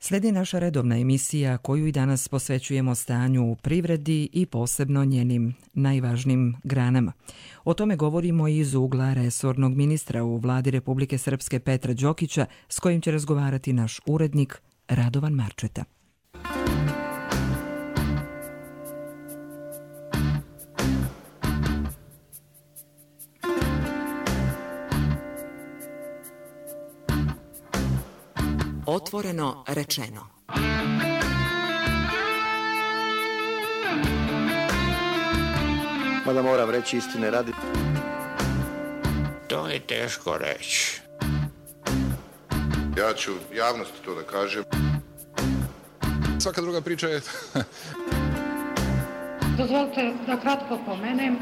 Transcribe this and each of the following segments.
Slijedi naša redovna emisija koju i danas posvećujemo stanju u privredi i posebno njenim najvažnijim granama. O tome govorimo iz ugla resornog ministra u Vladi Republike Srpske Petra Đokića, s kojim će razgovarati naš urednik Radovan Marčeta. Otvoreno rečeno. Mada moram reći istine radi. To je teško reći. Ja ću javnosti to da kažem. Svaka druga priča je... Dozvolite da kratko pomenem.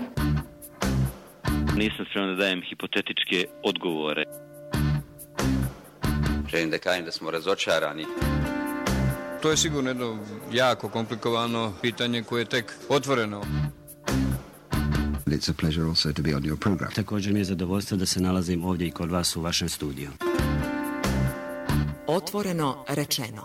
Nisam spreman da dajem hipotetičke odgovore. Želim da kažem da smo razočarani. To je sigurno jedno jako komplikovano pitanje koje je tek otvoreno. It's a pleasure also to be on your program. Također mi je zadovoljstvo da se nalazim ovdje i kod vas u vašem studiju. Otvoreno rečeno.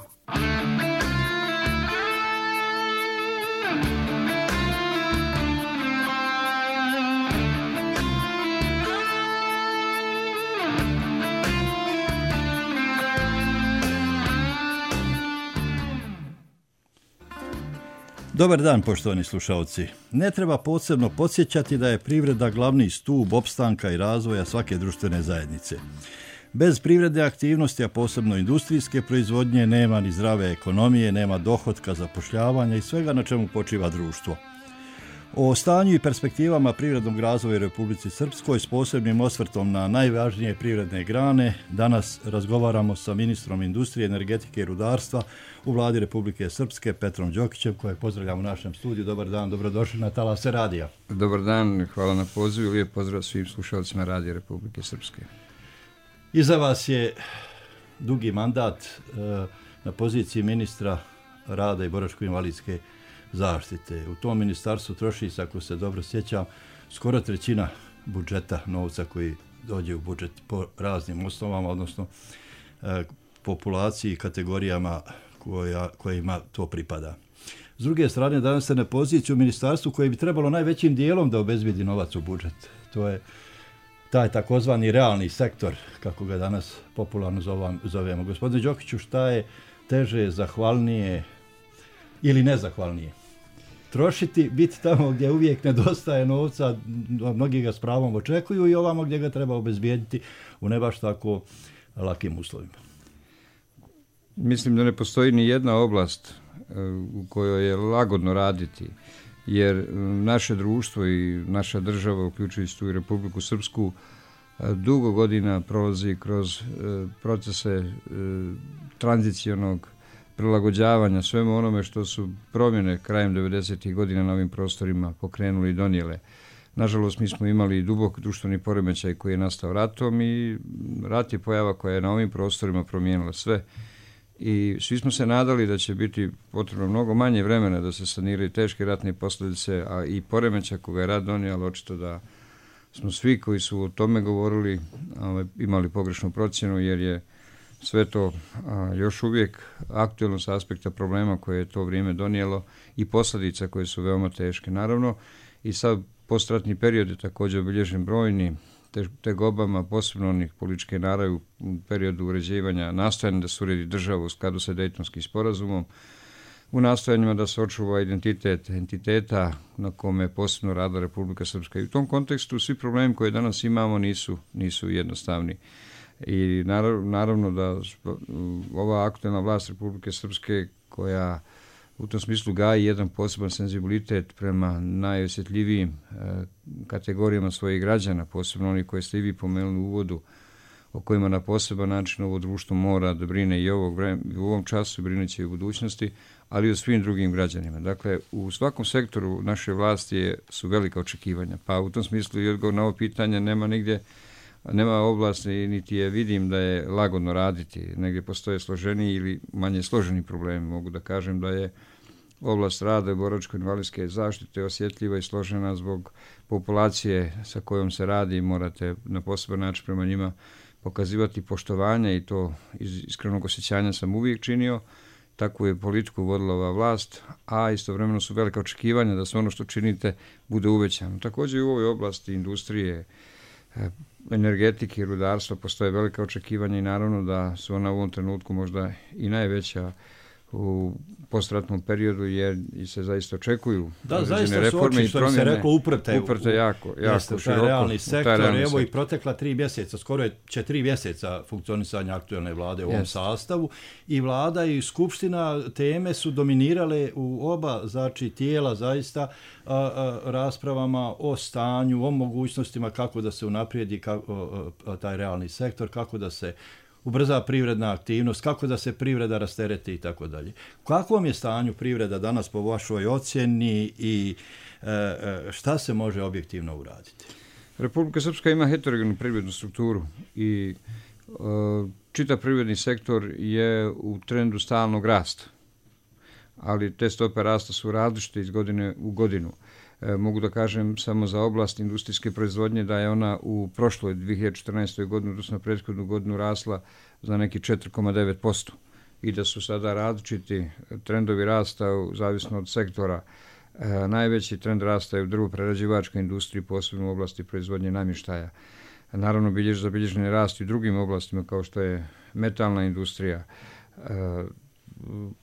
Dobar dan, poštovani slušalci. Ne treba posebno podsjećati da je privreda glavni stup opstanka i razvoja svake društvene zajednice. Bez privredne aktivnosti, a posebno industrijske proizvodnje, nema ni zdrave ekonomije, nema dohotka, zapošljavanja i svega na čemu počiva društvo. O stanju i perspektivama privrednog razvoja u Republici Srpskoj s posebnim osvrtom na najvažnije privredne grane danas razgovaramo sa ministrom industrije, energetike i rudarstva u Vladi Republike Srpske Petrom Đokićem, koje pozdravljam u našem studiju. Dobar dan, dobrodošli na Talase radija. Dobar dan, hvala na pozivu, lijep pozdrav svim slušalcima Radija Republike Srpske. Iza vas je dugi mandat na poziciji ministra rada i boračko-invalidske zaštite. U tom ministarstvu troši se, ako se dobro sjećam, skoro trećina budžeta novca koji dođe u budžet po raznim osnovama, odnosno populaciji i kategorijama kojima to pripada. S druge strane, danas ste na poziciju u ministarstvu koje bi trebalo najvećim dijelom da obezbijedi novac u budžet. To je taj takozvani realni sektor, kako ga danas popularno zovemo. Gospodine Đokiću, šta je teže, zahvalnije ili nezahvalnije? Trošiti, biti tamo gdje uvijek nedostaje novca, mnogi ga s pravom očekuju, i ovamo gdje ga treba obezbijediti u ne baš tako lakim uslovima. Mislim da ne postoji ni jedna oblast u kojoj je lagodno raditi, jer naše društvo i naša država, uključujući tu i Republiku Srpsku, dugo godina prolazi kroz procese tranzicionog prilagođavanja svemu onome što su promjene krajem 90. godina na ovim prostorima pokrenuli i donijele. Nažalost, mi smo imali dubok društveni poremećaj koji je nastao ratom, i rat je pojava koja je na ovim prostorima promijenila sve. I svi smo se nadali da će biti potrebno mnogo manje vremena da se saniraju teške ratne posljedice, a i poremećaj koga je rat donio, ali očito da smo svi koji su o tome govorili imali pogrešnu procjenu, jer je sve to još uvijek aktuelno s aspekta problema koje je to vrijeme donijelo i posljedica koje su veoma teške. Naravno, i sad postratni period je također obilježen brojni tegobama, posebno onih političke naravi u periodu uređivanja, nastojanja da se uredi državu u skladu sa Dejtonskim sporazumom, u nastojanjima da se očuva identitet entiteta na kome je posebno radila Republika Srpska. I u tom kontekstu svi problemi koje danas imamo nisu jednostavni. I naravno da ova aktualna vlast Republike Srpske, koja u tom smislu gaji jedan poseban senzibilitet prema najosjetljivijim kategorijama svojih građana, posebno oni koje ste i vi pomenuli u uvodu, o kojima na poseban način ovo društvo mora da brine i u ovom času, brineće i u budućnosti, ali i o svim drugim građanima. Dakle, u svakom sektoru naše vlasti su velika očekivanja, pa u tom smislu i odgovor na ovo pitanje nema oblasti, niti je vidim da je lagodno raditi. Negdje postoje složeniji ili manje složeni problemi. Mogu da kažem da je oblast rada i boračko-invalidske zaštite osjetljiva i složena zbog populacije sa kojom se radi, i morate na poseban način prema njima pokazivati poštovanje, i to iz iskrenog osjećanja sam uvijek činio. takvu je politiku vodila ova vlast, a istovremeno su velika očekivanja da se ono što činite bude uvećano. Također i u ovoj oblasti industrije, energetike i rudarstva postoje velika očekivanja i naravno da su ona u ovom trenutku možda i najveća u postratnom periodu jer se zaista očekuju zaista reforme i promjene. Se reklo, uprte jako široko. Realni sektor, evo i protekla 3 mjeseca, skoro će 3 mjeseca funkcionisanja aktualne vlade u ovom sastavu i vlada i skupština teme su dominirale u oba znači tijela zaista raspravama o stanju, o mogućnostima kako da se unaprijedi taj realni sektor, kako da se ubrza privredna aktivnost, kako da se privreda rastereti i tako dalje. U kakvom je stanju privreda danas po vašoj ocjeni i šta se može objektivno uraditi? Republika Srpska ima heterogenu privrednu strukturu i čitav privredni sektor je u trendu stalnog rasta, ali te stope rasta su različite iz godine u godinu. Mogu da kažem samo za oblast industrijske proizvodnje da je ona u prošloj 2014. godini, odnosno prethodnu godinu, rasla za neki 4,9% i da su sada različiti trendovi rasta zavisno od sektora. Najveći trend rasta je u drvo-prerađivačkoj industriji, posebno u oblasti proizvodnje namještaja. Naravno, zabilježen je rast i u drugim oblastima kao što je metalna industrija,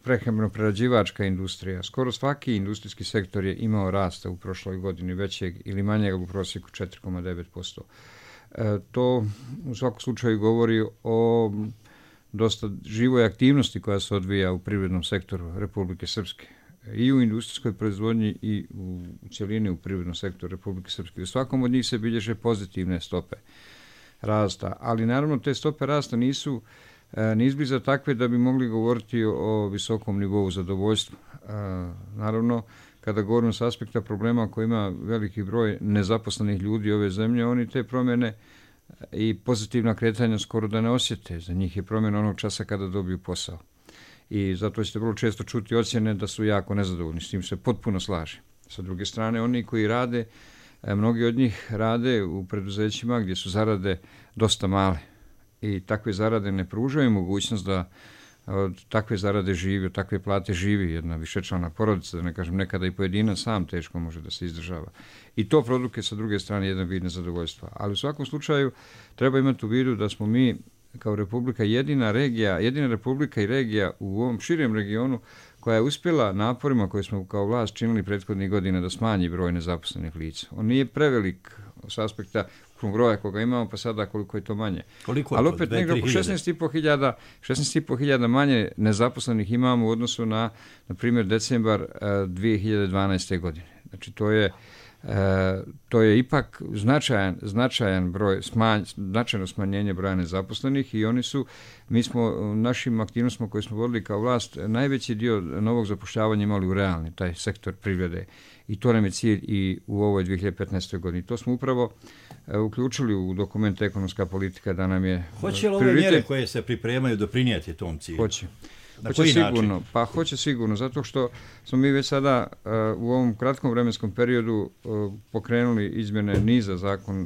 prehrambeno-prerađivačka industrija. Skoro svaki industrijski sektor je imao rasta u prošloj godini većeg ili manjeg u prosjeku 4,9%. To u svakom slučaju govori o dosta živoj aktivnosti koja se odvija u privrednom sektoru Republike Srpske. I u industrijskoj proizvodnji i u cjelini u privrednom sektoru Republike Srpske. U svakom od njih se bilježe pozitivne stope rasta, ali naravno te stope rasta nisu ni izbliza takve da bi mogli govoriti o visokom nivou zadovoljstva. Naravno, kada govorimo s aspekta problema koji ima veliki broj nezaposlenih ljudi ove zemlje, oni te promjene i pozitivna kretanja skoro da ne osjete. Za njih je promjena onog časa kada dobiju posao. I zato ćete vrlo često čuti ocjene da su jako nezadovoljni, s tim se potpuno slaže. Sa druge strane, oni koji rade, mnogi od njih rade u preduzećima gdje su zarade dosta male. I takve zarade ne pružaju mogućnost da od takve zarade živi, od takve plate živi jedna višečlana porodica, da ne kažem nekada i pojedinac sam teško može da se izdržava. I to produkuje sa druge strane jedan vid nezadovoljstva. Ali u svakom slučaju treba imati u vidu da smo mi kao Republika jedina Republika i regija u ovom širem regionu koja je uspjela naporima koje smo kao vlast činili prethodnih godina da smanji broj nezaposlenih lica. On nije prevelik s aspekta broja koga imamo, pa sada koliko je to manje. Ali opet negdje oko 16.500 manje nezaposlenih imamo u odnosu na primjer, decembar 2012. godine. Znači, to je ipak značajan broj, značajno smanjenje broja nezaposlenih i mi smo našim aktivnostima koje smo vodili kao vlast najveći dio novog zapošljavanja imali u realni, taj sektor privrede. I to nam je cilj i u ovoj 2015. godini. To smo upravo uključili u dokument ekonomska politika da nam je Hoće li ove mjere koje se pripremaju doprinijeti tom cilju? Hoće. Hoće sigurno, zato što smo mi već sada u ovom kratkom vremenskom periodu pokrenuli izmjene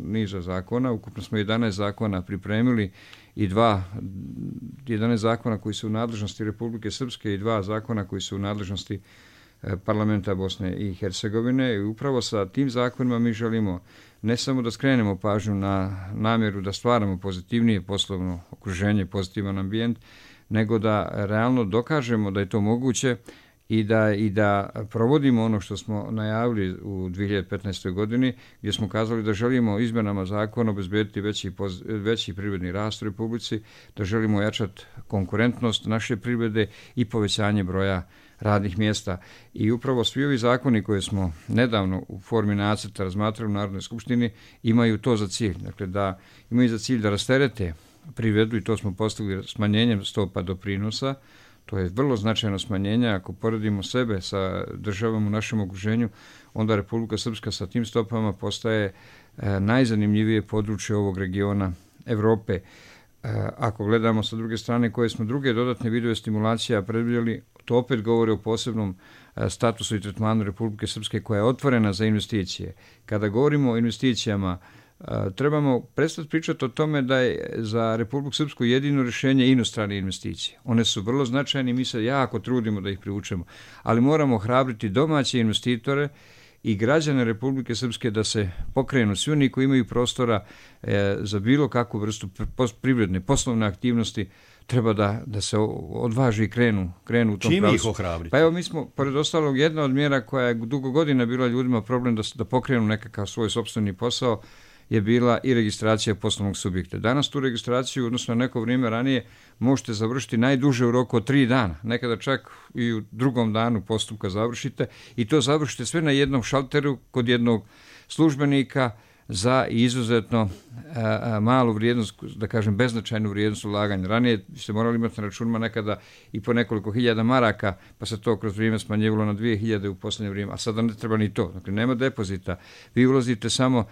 niza zakona. Ukupno smo 11 zakona pripremili i 11 zakona koji su u nadležnosti Republike Srpske i 2 zakona koji su u nadležnosti parlamenta Bosne i Hercegovine. I upravo sa tim zakonima mi želimo ne samo da skrenemo pažnju na namjeru da stvaramo pozitivnije poslovno okruženje, pozitivan ambijent, nego da realno dokažemo da je to moguće i da provodimo ono što smo najavili u 2015. godini, gdje smo kazali da želimo izmjenama zakona obezbediti veći privredni rast u Republici, da želimo ojačati konkurentnost naše privrede i povećanje broja radnih mjesta. I upravo svi ovi zakoni koje smo nedavno u formi nacrta razmatrali u Narodnoj skupštini imaju to za cilj. Dakle, da imaju za cilj da rasterete privredu i to smo postigli smanjenjem stopa doprinosa. To je vrlo značajno smanjenje. Ako poredimo sebe sa državom u našem okruženju, onda Republika Srpska sa tim stopama postaje najzanimljivije područje ovog regiona Evrope. Ako gledamo sa druge strane koje smo druge dodatne vidove stimulacija predvidjeli, to opet govori o posebnom statusu i tretmanu Republike Srpske koja je otvorena za investicije. Kada govorimo o investicijama, trebamo prestati pričati o tome da je za Republiku Srpsku jedino rješenje inostrane investicije. One su vrlo značajne i mi se jako trudimo da ih privučemo, ali moramo hrabriti domaće investitore i građane Republike Srpske da se pokrenu. Svi oni koji imaju prostora za bilo kakvu vrstu privredne, poslovne aktivnosti, treba da se odvaži i krenu u tom pravcu. Čime ih ohrabriti? Pa evo, mi smo, pored ostalog, jedna od mjera koja je dugo godina bila ljudima problem da pokrenu nekakav svoj sopstveni posao, je bila i registracija poslovnog subjekta. Danas tu registraciju, odnosno neko vrijeme ranije, možete završiti najduže u roku od 3 dana. Nekada čak i u drugom danu postupka završite i to završite sve na jednom šalteru kod jednog službenika za izuzetno malu vrijednost, da kažem beznačajnu vrijednost ulaganja. Ranije ste morali imati na računima nekada i po nekoliko hiljada maraka, pa se to kroz vrijeme smanjivalo na 2000 u posljednje vrijeme, a sada ne treba ni to. Dakle, nema depozita. Vi ulazite samo,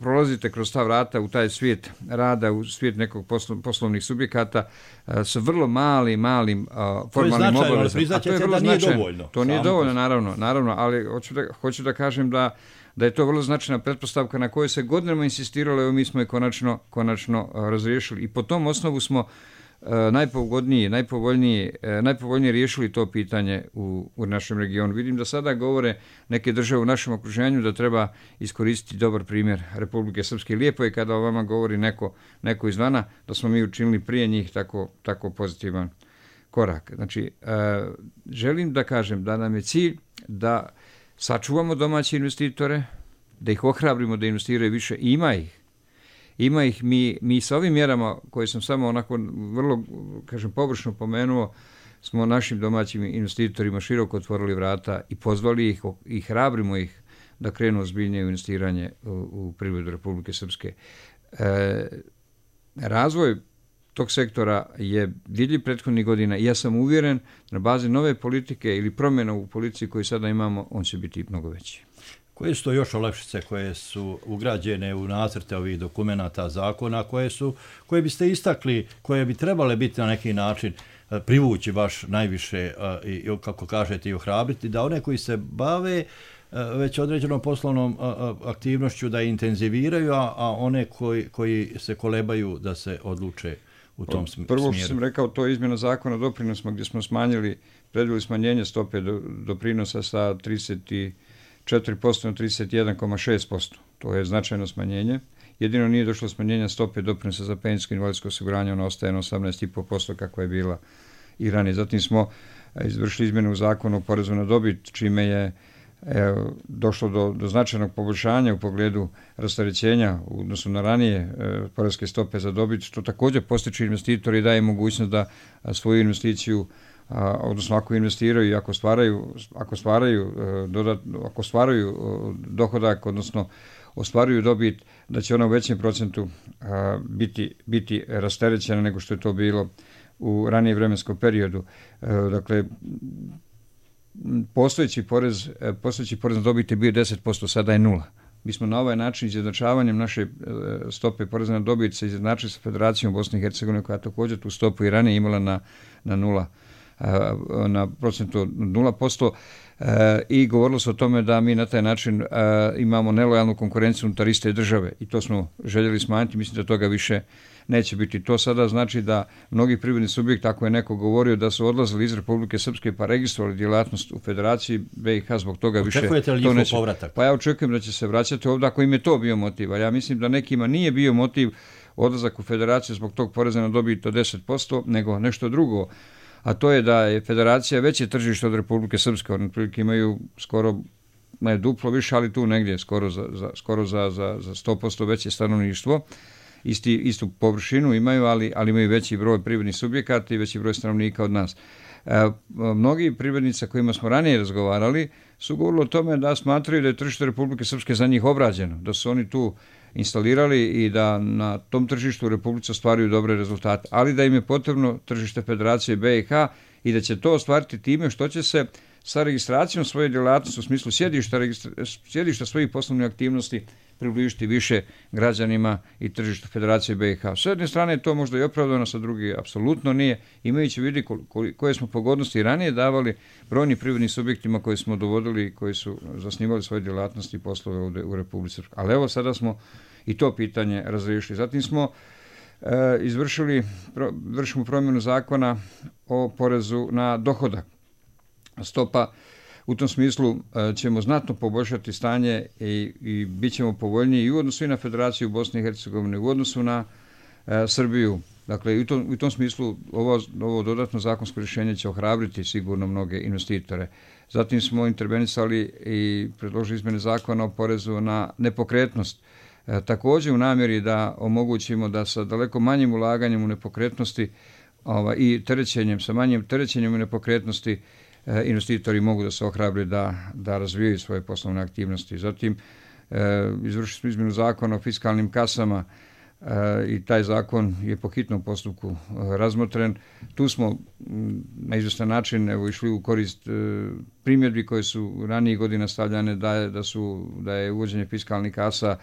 prolazite kroz ta vrata u taj svijet rada, u svijet nekog poslovnih subjekata sa vrlo malim formalnim obavezama. To je vrlo značajno. To nije dovoljno, naravno, ali hoću da kažem da je to vrlo značajna pretpostavka na kojoj se godinama insistiralo, evo mi smo je konačno razriješili. I po tom osnovu smo najpovoljnije riješili to pitanje u našem regionu. Vidim da sada govore neke države u našem okruženju da treba iskoristiti dobar primjer Republike Srpske. Lijepo je kada o vama govori neko izvana, da smo mi učinili prije njih tako pozitivan korak. Znači, želim da kažem da nam je cilj da sačuvamo domaće investitore, da ih ohrabrimo da investiraju više. Ima ih. Mi sa ovim mjerama koje sam samo onako vrlo, površno pomenuo, smo našim domaćim investitorima široko otvorili vrata i pozvali ih i hrabrimo ih da krenu ozbiljnije investiranje u privredu Republike Srpske. Razvoj tog sektora je vidljiv prethodnih godina i ja sam uvjeren na bazi nove politike ili promjena u politici koju sada imamo, on će biti mnogo veći. Koje su to još olakšice koje su ugrađene u nacrte ovih dokumenata zakona, koje biste istakli, koje bi trebale biti na neki način privući baš najviše i kako kažete i ohrabriti, da one koji se bave već određenom poslovnom aktivnošću da intenziviraju, a one koji se kolebaju da se odluče u tom smjeru. Prvo što sam rekao, to je izmjena zakona o doprinosima gdje smo predvidjeli smanjenje stope doprinosa sa 34% na 31,6%. To je značajno smanjenje. Jedino nije došlo smanjenja stope doprinosa za penzijsko i invalidsko osiguranje, ona ostaje na 18,5% kako je bila i ranije. Zatim smo izvršili izmjenu u zakonu o porezu na dobit, čime je došlo do značajnog poboljšanja u pogledu rasterećenja u odnosu na ranije poreske stope za dobit, što također postiče investitori i daje mogućnost da svoju investiciju, odnosno ako investiraju i ako stvaraju dohodak, odnosno ostvaruju dobit, da će ona u većem procentu biti rasterećena nego što je to bilo u ranijem vremenskom periodu. Dakle, postojeći porez na dobit je bio 10%, sada je 0. Mi smo na ovaj način izjednačavanjem naše stope poreza na dobit se izjednačili sa Federacijom Bosne i Hercegovine, koja također tu stopu i ranije imala na 0, na procentu 0%, i govorilo se o tome da mi na taj način imamo nelojalnu konkurenciju unutar iste države i to smo željeli smanjiti. Mislim da toga više neće biti. To sada znači da mnogi privredni subjekti, ako je neko govorio da su odlazili iz Republike Srpske pa registrovali djelatnost u Federaciji BiH, zbog toga više očekujete li njihov povratak? Pa ja očekujem da će se vraćati ovdje ako im je to bio motiv, a ja mislim da nekima nije bio motiv odlazak u Federaciju zbog tog poreza na dobit od 10%, nego nešto drugo, a to je da je Federacija veće tržište od Republike Srpske. Oni otprilike imaju skoro duplo više, ali tu negdje skoro za 100% veće stanovništvo. Istu površinu imaju, ali imaju veći broj privrednih subjekata i veći broj stanovnika od nas. Mnogi privrednici sa kojima smo ranije razgovarali su govorili o tome da smatraju da je tržište Republike Srpske za njih obrađeno, da su oni tu instalirali i da na tom tržištu u Republici ostvaruju dobre rezultate, ali da im je potrebno tržište Federacije BiH i da će to ostvariti time što će se sa registracijom svoje djelatnosti u smislu sjedišta svojih poslovnih aktivnosti približiti više građanima i tržištu Federacije BiH. S jedne strane je to možda i opravdano, sa druge apsolutno nije, imajući vidi koje smo pogodnosti ranije davali brojnim privrednim subjektima koji smo dovodili i koji su zasnivali svoje djelatnosti i poslove ovdje u Republici Srpskoj. Ali evo sada smo i to pitanje razriješili. Zatim smo vršimo promjenu zakona o porezu na dohodak. Stopa u tom smislu ćemo znatno poboljšati stanje i bit ćemo povoljniji i u odnosu i na Federaciju Bosne i Hercegovine, u odnosu na Srbiju. Dakle, u tom smislu ovo dodatno zakonsko rješenje će ohrabriti sigurno mnoge investitore. Zatim smo intervenisali i predložili izmjene zakona o porezu na nepokretnost. Također u namjeri da omogućimo da sa daleko manjim ulaganjem u nepokretnosti i sa manjim terećenjem u nepokretnosti investitori mogu da se ohrabre da razvijaju svoje poslovne aktivnosti. Zatim izvršili smo izmjenu zakona o fiskalnim kasama i taj zakon je po hitnom postupku razmotren. Tu smo na izvjestan način išli u korist primjedbi koje su ranijih godina stavljane da je uvođenje fiskalnih kasa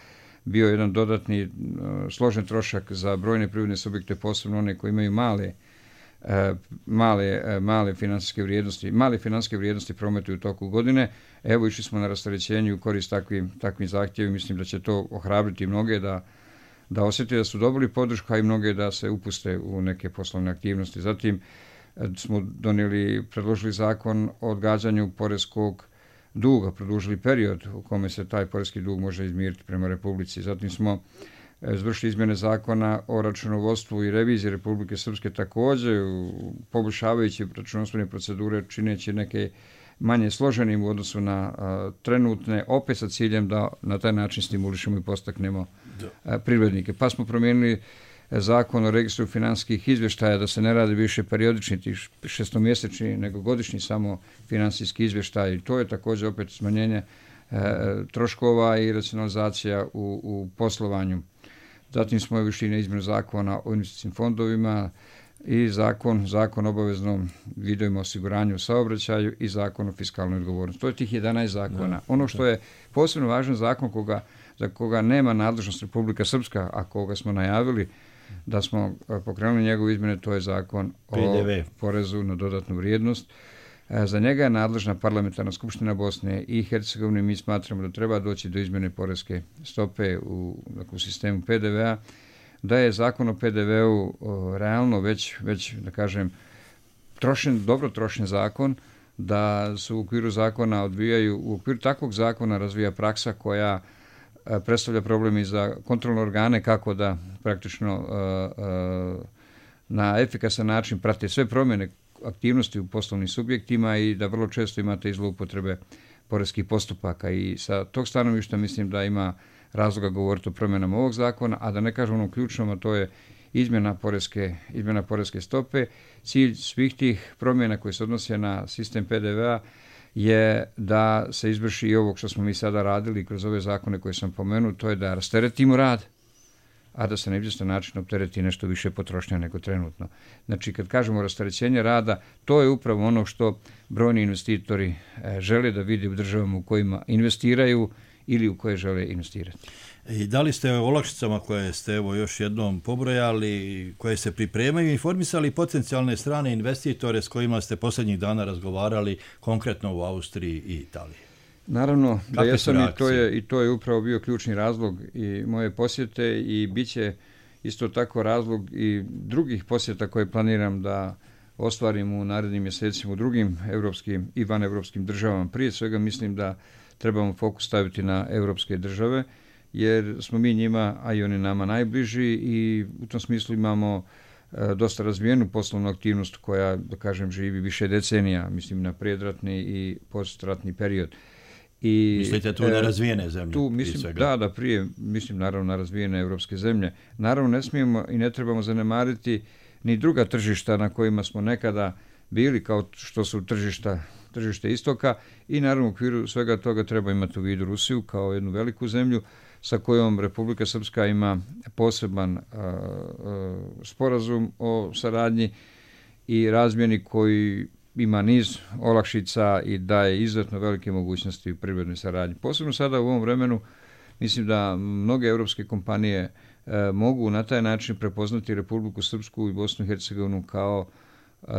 bio jedan dodatni složen trošak za brojne privredne subjekte, posebno one koji imaju male financijske vrijednosti prometuju u toku godine. Evo, išli smo na rasterećenje u korist takvim zahtjevima. Mislim da će to ohrabriti mnoge da osjeti da su dobili podršku, a i mnoge da se upuste u neke poslovne aktivnosti. Zatim smo predložili zakon o odgađanju poreskog duga, produžili period u kome se taj poreski dug može izmiriti prema Republici. Zatim smo izvršili izmjene zakona o računovodstvu i reviziji Republike Srpske, također poboljšavajući računovodstvene procedure, čineći neke manje složenim u odnosu na trenutne, opet sa ciljem da na taj način stimulišemo i postaknemo privrednike. Pa smo promijenili zakon o registru financijskih izvještaja, da se ne radi više periodični, šestomjesečni, nego godišnji samo financijski izvještaj. I to je također opet smanjenje troškova i racionalizacija u poslovanju. Zatim smo išli na izmjenu zakona o investicijskim fondovima i zakon o obaveznom vidovima osiguranju u saobraćaju i zakon o fiskalnoj odgovornosti. To je tih 11 zakona. Ono što je posebno važan zakon za koga nema nadležnost Republika Srpska, a koga smo najavili da smo pokrenuli njegove izmjene, to je zakon o porezu na dodatnu vrijednost. Za njega je nadležna parlamentarna skupština Bosne i Hercegovine. Mi smatramo da treba doći do izmjene poreske stope u sistemu PDV-a, da je zakon o PDV-u realno već da kažem dobro trošen zakon, da se u okviru zakona u okviru takvog zakona razvija praksa koja predstavlja problem i za kontrolne organe, kako da praktično na efikasan način prate sve promjene aktivnosti u poslovnim subjektima i da vrlo često imate i zloupotrebe poreskih postupaka. I sa tog stanovišta mislim da ima razloga govoriti o promjenama ovog zakona, a da ne kažem onom ključnom, a to je izmjena poreske stope. Cilj svih tih promjena koje se odnose na sistem PDV-a je da se izvrši i ovog što smo mi sada radili kroz ove zakone koje sam pomenuo, to je da rasteretimo rad, a da se na izvjestan način optereti nešto više potrošnja nego trenutno. Znači, kad kažemo rasterećenje rada, to je upravo ono što brojni investitori žele da vide u državama u kojima investiraju ili u koje žele investirati. I da li ste o olakšicama koje ste još jednom pobrojali, koje se pripremaju, informisali potencijalne strane investitore s kojima ste posljednjih dana razgovarali, konkretno u Austriji i Italiji? Naravno da jesam, i to je upravo bio ključni razlog i moje posjete, i bit će isto tako razlog i drugih posjeta koje planiram da ostvarim u narednim mjesecima u drugim europskim i vaneuropskim državama. Prije svega mislim da trebamo fokus staviti na europske države, jer smo mi njima, a i oni nama najbliži, i u tom smislu imamo dosta razvijenu poslovnu aktivnost koja, da kažem, živi više decenija, mislim na predratni i postratni period. Mislite tu na razvijene zemlje? Tu mislim, da prije mislim naravno na razvijene europske zemlje. Naravno ne smijemo i ne trebamo zanemariti ni druga tržišta na kojima smo nekada bili, kao što su tržište istoka, i naravno u okviru svega toga treba imati u vidu Rusiju kao jednu veliku zemlju sa kojom Republika Srpska ima poseban sporazum o saradnji i razmjeni koji ima niz olakšica i daje izuzetno velike mogućnosti u privrednoj saradnji. Posebno sada u ovom vremenu mislim da mnoge europske kompanije mogu na taj način prepoznati Republiku Srpsku i Bosnu i Hercegovinu kao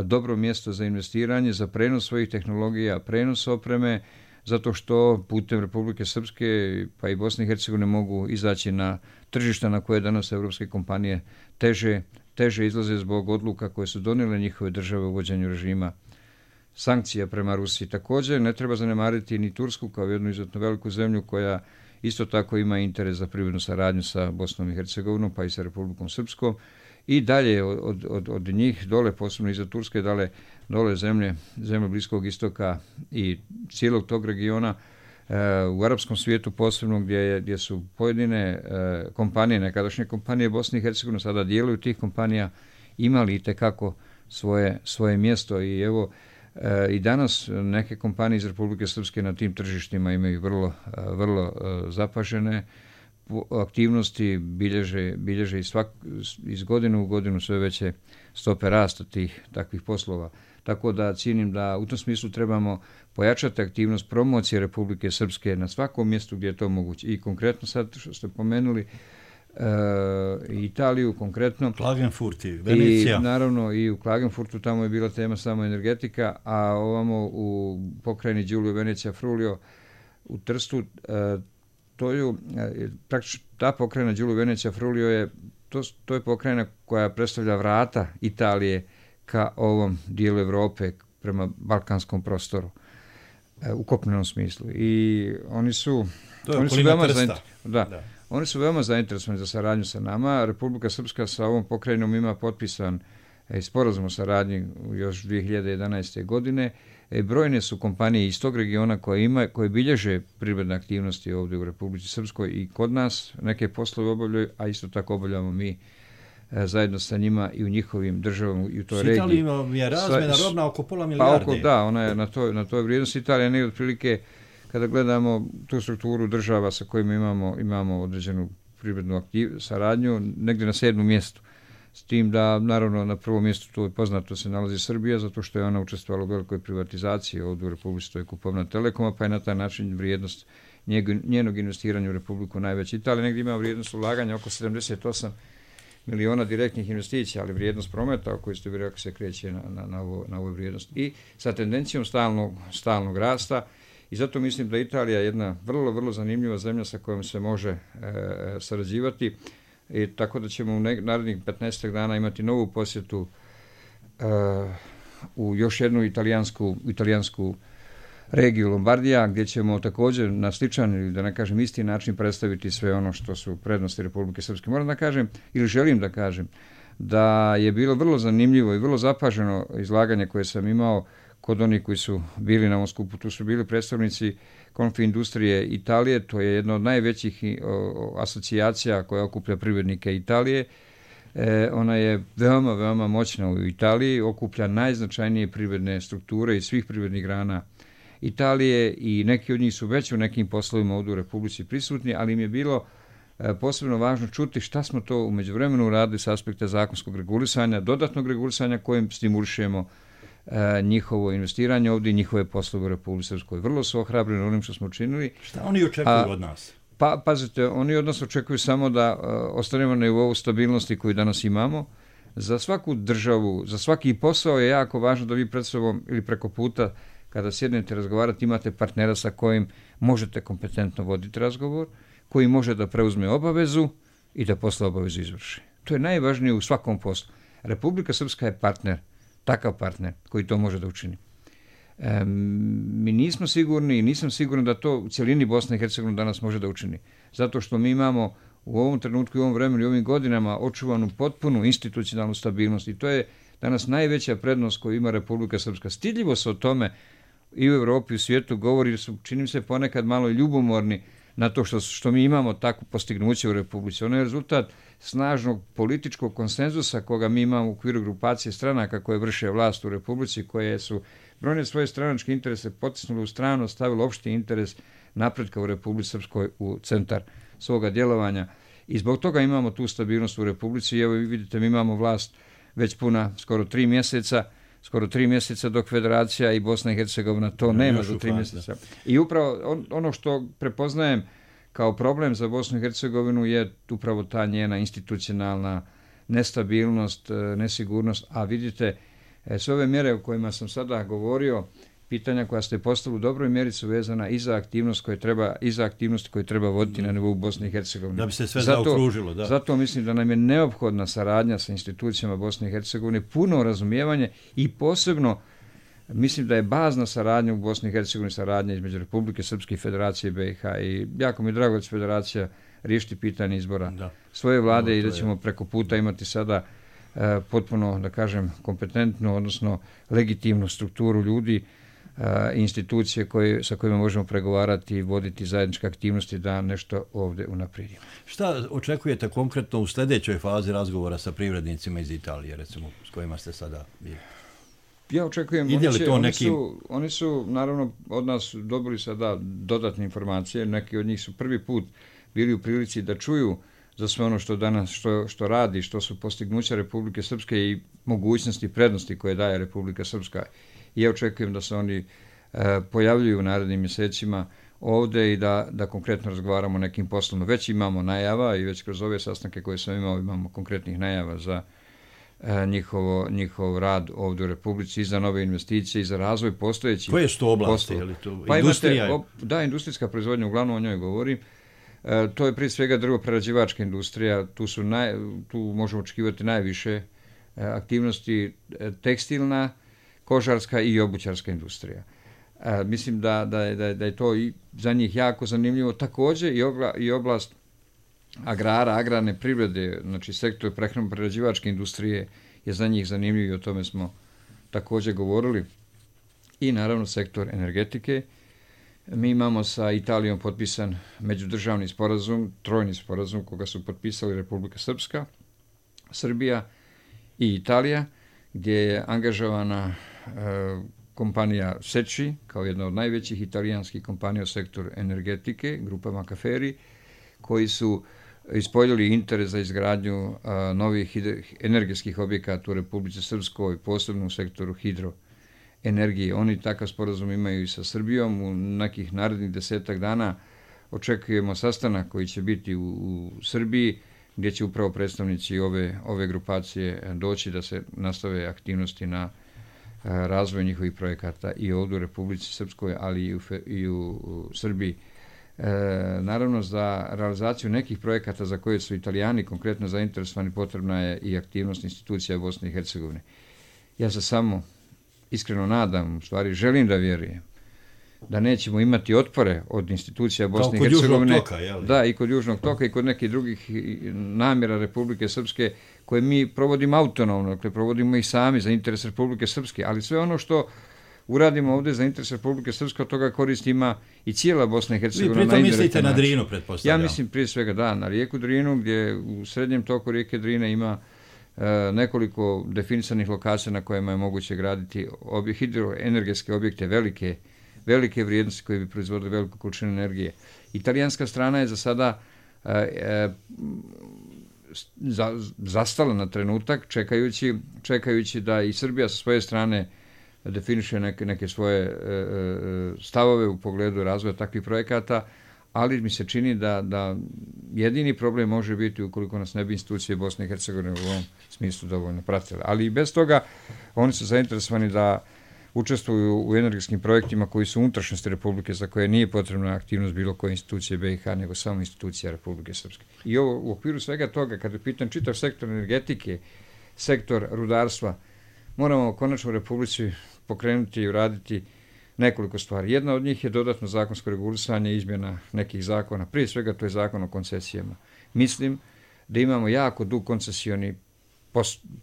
dobro mjesto za investiranje, za prenos svojih tehnologija, prenos opreme, zato što putem Republike Srpske pa i Bosne i Hercegovine mogu izaći na tržišta na koje danas evropske kompanije teže izlaze zbog odluka koje su donijele njihove države u uvođenju režima sankcija prema Rusiji. Također ne treba zanemariti ni Tursku kao jednu izuzetno veliku zemlju koja isto tako ima interes za privrednu saradnju sa Bosnom i Hercegovinom pa i sa Republikom Srpskom i dalje od njih dole, posebno iza Turske, dole zemlje Bliskog istoka i cijelog tog regiona u arapskom svijetu posebno gdje su pojedine kompanije, nekadašnje kompanije Bosne i Hercegovine, sada djeluju tih kompanija, imali itekako svoje mjesto i evo i danas neke kompanije iz Republike Srpske na tim tržištima imaju vrlo zapažene aktivnosti, bilježe iz godine u godinu sve veće stope rasta tih takvih poslova. Tako da cijenim da u tom smislu trebamo pojačati aktivnost promocije Republike Srpske na svakom mjestu gdje je to moguće. I konkretno sad što ste pomenuli Italiju konkretno. Klagenfurt i Venecija. I naravno i u Klagenfurtu tamo je bila tema samo energetika, a ovamo u pokrajini Giulio Venecija Frulio u Trstu praktično ta pokrajina Giulio Venecija Frulio to je pokrajina koja predstavlja vrata Italije ka ovom dijelu Europe prema balkanskom prostoru u kopnenom smislu. I oni su veoma zainteresovani za saradnju sa nama. Republika Srpska sa ovom pokrajinom ima potpisan sporazum o saradnji još 2011. godine. Brojne su kompanije iz tog regiona koje bilježe privredne aktivnosti ovdje u Republici Srpskoj i kod nas neke poslove obavljaju, a isto tako obavljamo mi zajedno sa njima i u njihovim državama i u toj regiji. S Italijom je razmjena robna oko pola milijarde. Ona je na toj vrijednosti. Italija je negdje otprilike, kada gledamo tu strukturu država sa kojima imamo određenu privrednu saradnju, negdje na 7. mjestu. S tim da, naravno, na prvom mjestu, to je poznato, se nalazi Srbija, zato što je ona učestvovala u velikoj privatizaciji ovdje u Republici, to je kupovina Telekoma, pa je na taj način vrijednost njenog investiranja u Republiku najveća. Italija negdje ima vrijednost ulaganja oko 78 miliona direktnih investicija, ali vrijednost prometa o kojoj ste vi rekli se kreće na ovu vrijednost. I sa tendencijom stalnog rasta, i zato mislim da Italija je jedna vrlo, vrlo zanimljiva zemlja sa kojom se može sarađivati. I tako da ćemo u narednih 15 dana imati novu posjetu u još jednu italijansku regiju Lombardija, gdje ćemo također na sličan ili da ne kažem isti način predstaviti sve ono što su prednosti Republike Srpske. Moram da kažem, ili želim da kažem, da je bilo vrlo zanimljivo i vrlo zapaženo izlaganje koje sam imao kod onih koji su bili na ovom skupu. Tu su bili predstavnici Konfindustrije Italije, to je jedna od najvećih asocijacija koja okuplja privrednike Italije. Ona je veoma, veoma moćna u Italiji, okuplja najznačajnije privredne strukture iz svih privrednih grana Italije i neki od njih su već u nekim poslovima ovdje u Republici prisutni, ali im je bilo posebno važno čuti šta smo to u međuvremenu uradili s aspekta zakonskog regulisanja, dodatnog regulisanja kojim stimulišemo njihovo investiranje ovdje i njihove poslove u Republici Srpskoj. Vrlo su ohrabreni onim što smo učinili. Šta oni očekuju od nas? Pa, pazite, oni od nas očekuju samo da ostanemo na nivou stabilnosti koju danas imamo. Za svaku državu, za svaki posao je jako važno da vi pred sobom ili preko puta kada sjednete razgovarati imate partnera sa kojim možete kompetentno voditi razgovor, koji može da preuzme obavezu i da posle obavezu izvrši. To je najvažnije u svakom poslu. Republika Srpska je partner, takav partner koji to može da učini. Mi nismo sigurni i nisam siguran da to u cjelini Bosne i Hercegovine danas može da učini. Zato što mi imamo u ovom trenutku i u ovom vremenu i ovim godinama očuvanu potpunu institucionalnu stabilnost i to je danas najveća prednost koju ima Republika Srpska. Stidljivo se o tome i u Europi i u svijetu govori, su, čini mi se ponekad malo ljubomorni na to što mi imamo takvo postignuće u Republici. Ono je rezultat snažnog političkog konsenzusa koga mi imamo u okviru grupacije stranaka koje vrše vlast u Republici, koje su brojne svoje stranačke interese potisnuli u stranu, stavili opšti interes napretka u Republici Srpskoj u centar svoga djelovanja. I zbog toga imamo tu stabilnost u Republici. I evo vidite, mi imamo vlast već puna skoro 3 mjeseca, dok Federacija i Bosna i Hercegovina to nema za 3 mjeseca. I upravo ono što prepoznajem kao problem za Bosnu i Hercegovinu je upravo ta njena institucionalna nestabilnost, nesigurnost, a vidite, sve ove mjere o kojima sam sada govorio pitanja koja ste postavili u dobroj mjeri su vezana i za aktivnosti koje treba voditi na nivou Bosne i Hercegovine. Da bi se sve zaokružilo, da. Zato mislim da nam je neophodna saradnja sa institucijama Bosne i Hercegovine, puno razumijevanje i posebno mislim da je bazna saradnja u Bosni i Hercegovini saradnja između Republike Srpske i Federacije BiH i jako mi je drago da će Federacija riješiti pitanje izbora svoje vlade i da ćemo preko puta imati sada potpuno, da kažem, kompetentnu, odnosno legitimnu strukturu ljudi i institucije sa kojima možemo pregovarati i voditi zajedničke aktivnosti da nešto ovdje unaprijedimo. Šta očekujete konkretno u sljedećoj fazi razgovora sa privrednicima iz Italije, recimo, s kojima ste sada bili? Ja očekujem, oni su naravno od nas dobili sada dodatne informacije, neki od njih su prvi put bili u prilici da čuju za sve ono što danas, što radi, što su postignuća Republike Srpske i mogućnosti i prednosti koje daje Republika Srpska. I ja očekujem da se oni pojavljuju u narednim mjesecima ovdje i da konkretno razgovaramo o nekim poslovima. Već imamo najava i već kroz ove sastanke koje sam imao imamo konkretnih najava za njihov rad ovdje u Republici i za nove investicije i za razvoj postojećih. Koje su to oblasti? Industrija? Da, industrijska proizvodnja, uglavnom o njoj govorim. To je prije svega drvo-prerađivačka industrija, tu možemo očekivati najviše aktivnosti, tekstilna, kožarska i obućarska industrija. Mislim da je to i za njih jako zanimljivo. Također i oblast agrarne privrede, znači sektor prehrambeno-prerađivačke industrije je za njih zanimljiv i o tome smo također govorili. I naravno sektor energetike. Mi imamo sa Italijom potpisan međudržavni sporazum, trojni sporazum koga su potpisali Republika Srpska, Srbija i Italija, gdje je angažovana kompanija Secci kao jedna od najvećih italijanskih kompanija u sektoru energetike, grupa Macaferi, koji su ispoljili interes za izgradnju novih energetskih objekata u Republici Srpskoj, posebno u sektoru hidroenergije. Oni takav sporazum imaju i sa Srbijom. U nekih narednih 10 dana očekujemo sastanak koji će biti u Srbiji, gdje će upravo predstavnici ove grupacije doći da se nastave aktivnosti na razvoj njihovih projekata i ovdje u Republici Srpskoj, ali i u Srbiji. Naravno, za realizaciju nekih projekata za koje su Italijani konkretno zainteresovani potrebna je i aktivnost institucija Bosne i Hercegovine. Ja se samo iskreno nadam, u stvari želim da vjerujem, da nećemo imati otpore od institucija Bosne i Hercegovine. Južnog toka, da, i kod Južnog toka i kod nekih drugih namjera Republike Srpske koje mi provodimo autonomno, dakle provodimo ih sami za interes Republike Srpske, ali sve ono što uradimo ovdje za interes Republike Srpske, od toga koristi ima i cijela Bosna i Hercegovina. Vi pritom mislite na Drinu, pretpostavljam? Ja mislim prije svega na rijeku Drinu, gdje u srednjem toku rijeke Drine ima nekoliko definisanih lokacija na kojima je moguće graditi hidroenergetske objekte velike vrijednosti koje bi proizvodili veliku količinu energije. Italijanska strana je za sada zastala na trenutak čekajući da i Srbija sa svoje strane definiše neke svoje stavove u pogledu razvoja takvih projekata, ali mi se čini da jedini problem može biti ukoliko nas ne bi institucije Bosne i Hercegovine u ovom smislu dovoljno pratile. Ali i bez toga oni su zainteresovani da učestvuju u energetskim projektima koji su unutrašnjosti Republike, za koje nije potrebna aktivnost bilo koje institucije BiH, nego samo institucija Republike Srpske. I ovo u okviru svega toga, kad je pitan čitav sektor energetike, sektor rudarstva, moramo konačno u Republici pokrenuti i uraditi nekoliko stvari. Jedna od njih je dodatno zakonsko regulisanje izmjena nekih zakona. Prije svega to je zakon o koncesijama. Mislim da imamo jako dug koncesioni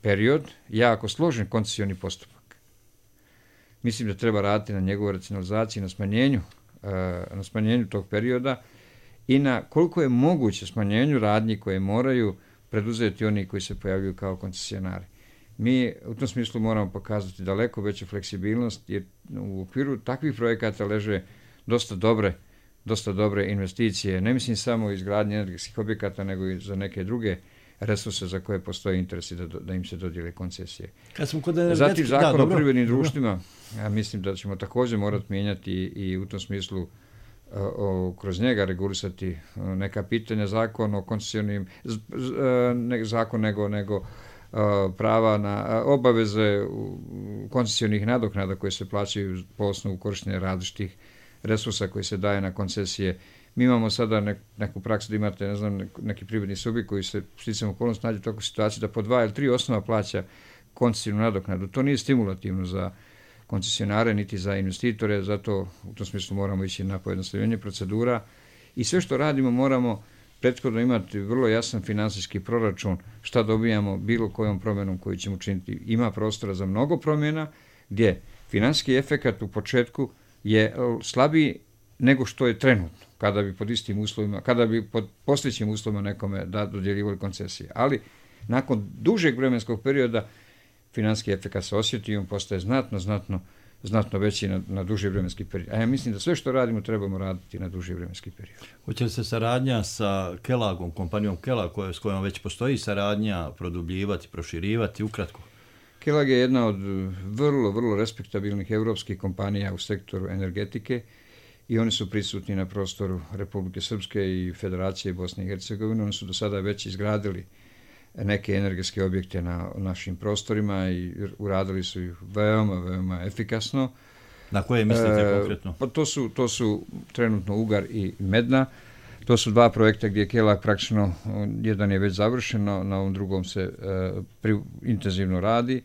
period, jako složen koncesioni postupak. Mislim da treba raditi na njegovoj racionalizaciji, na smanjenju tog perioda i na koliko je moguće smanjenju radnji koje moraju preduzeti oni koji se pojavljuju kao koncesionari. Mi u tom smislu moramo pokazati daleko veću fleksibilnost, jer u okviru takvih projekata leže dosta dobre investicije. Ne mislim samo o izgradnji energetskih objekata, nego i za neke druge resurse za koje postoji interesi da im se dodijele koncesije. Zatim zakon o privrednim društvima, ja mislim da ćemo također morati mijenjati i u tom smislu kroz njega regulisati neka pitanja. Zakon o koncesionim, ne zakon nego prava na obaveze koncesionih nadoknada koje se plaćaju po osnovu korištenja različitih resursa koji se daje na koncesije. Mi imamo sada neku praksu da imate, ne znam, neki privredni subjekt koji se sticajem okolnosti nađe u takvoj situaciji da po 2 ili 3 osnova plaća koncesionu nadoknadu. To nije stimulativno za koncesionare niti za investitore, zato u tom smislu moramo ići na pojednostavljenje procedura i sve što radimo moramo prethodno imati vrlo jasan finansijski proračun šta dobijamo bilo kojom promjenom koju ćemo učiniti. Ima prostora za mnogo promjena gdje financijski efekat u početku je slabiji nego što je trenutno, kada bi pod istim uslovima, kada bi pod postojećim uslovima nekome dodjeljivali koncesije. Ali nakon dužeg vremenskog perioda financijski efekat se osjeti i on postaje znatno veći na duži vremenski period. A ja mislim da sve što radimo trebamo raditi na duži vremenski period. Hoće li se saradnja sa Kellogom, kompanijom Kellogg, s kojom već postoji saradnja, produbljivati, proširivati, ukratko? Kellogg je jedna od vrlo respektabilnih europskih kompanija u sektoru energetike i oni su prisutni na prostoru Republike Srpske i Federacije Bosne i Hercegovine. Oni su do sada već izgradili neke energetske objekte na našim prostorima i uradili su ih veoma efikasno. Na koje mislite konkretno? Pa to su trenutno Ugar i Medna. To su 2 projekta gdje je Kellogg praktično, jedan je već završen, na ovom drugom se intenzivno radi.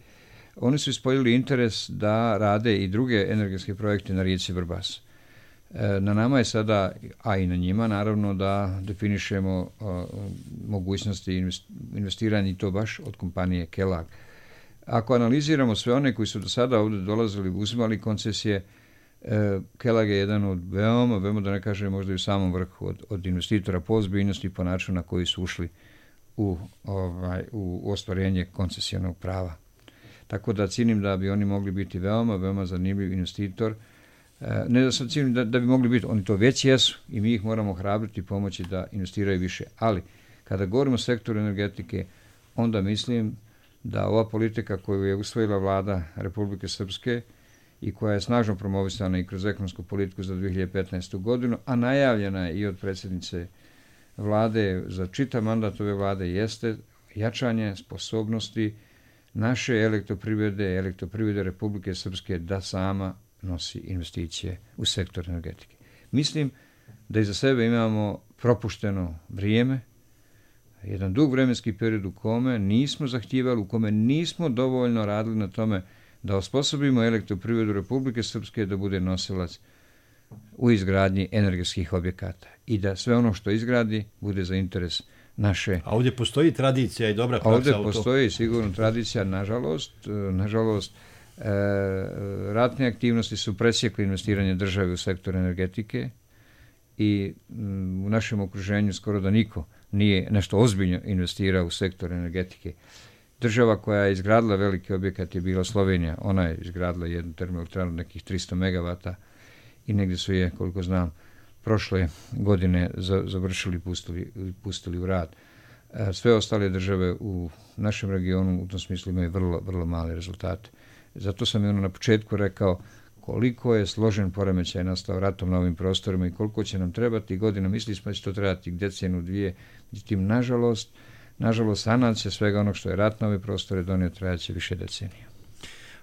Oni su ispojili interes da rade i druge energetske projekte na rijeci Vrbas. Na nama je sada, a i na njima naravno, da definišemo mogućnosti investiranja i to baš od kompanije Kellogg. Ako analiziramo sve one koji su do sada ovdje dolazili, uzimali koncesije, Kellogg je jedan od veoma, da ne kažem možda i u samom vrhu od investitora po ozbiljnosti i po načinu na koji su ušli u ostvarenje koncesijnog prava. Tako da cijenim da bi oni mogli biti veoma zanimljiv investitor. Ne da sam cijenim da bi mogli biti, oni to već jesu i mi ih moramo hrabriti i pomoći da investiraju više. Ali kada govorimo o sektoru energetike, onda mislim da ova politika koju je usvojila vlada Republike Srpske i koja je snažno promovisana i kroz ekonomsku politiku za 2015. godinu, a najavljena je i od predsjednice vlade za čitav mandat ove vlade, jeste jačanje sposobnosti naše elektroprivrede Republike Srpske da sama nosi investicije u sektor energetike. Mislim da iza sebe imamo propušteno vrijeme, jedan dug vremenski period u kome nismo zahtijevali, u kome nismo dovoljno radili na tome da osposobimo elektroprivredu Republike Srpske da bude nosilac u izgradnji energetskih objekata i da sve ono što izgradi bude za interes naše. A ovdje postoji tradicija i dobra praksa? Ovdje postoji sigurno tradicija, nažalost, ratne aktivnosti su presjekli investiranje države u sektor energetike i u našem okruženju skoro da niko nije nešto ozbiljno investirao u sektor energetike. Država koja je izgradila veliki objekat je bila Slovenija. Ona je izgradila jednu termoelektranu nekih 300 megavata i negdje su je, koliko znam, prošle godine završili i pustili u rad. Sve ostale države u našem regionu u tom smislu imaju vrlo male rezultate. Zato sam na početku rekao koliko je složen poremećaj nastao ratom na ovim prostorima i koliko će nam trebati godina. Mislili smo da će to trebati deceniju, 2. Međutim, nažalost, sanacija svega onog što je rat na ove prostore donio trajaće više decenija.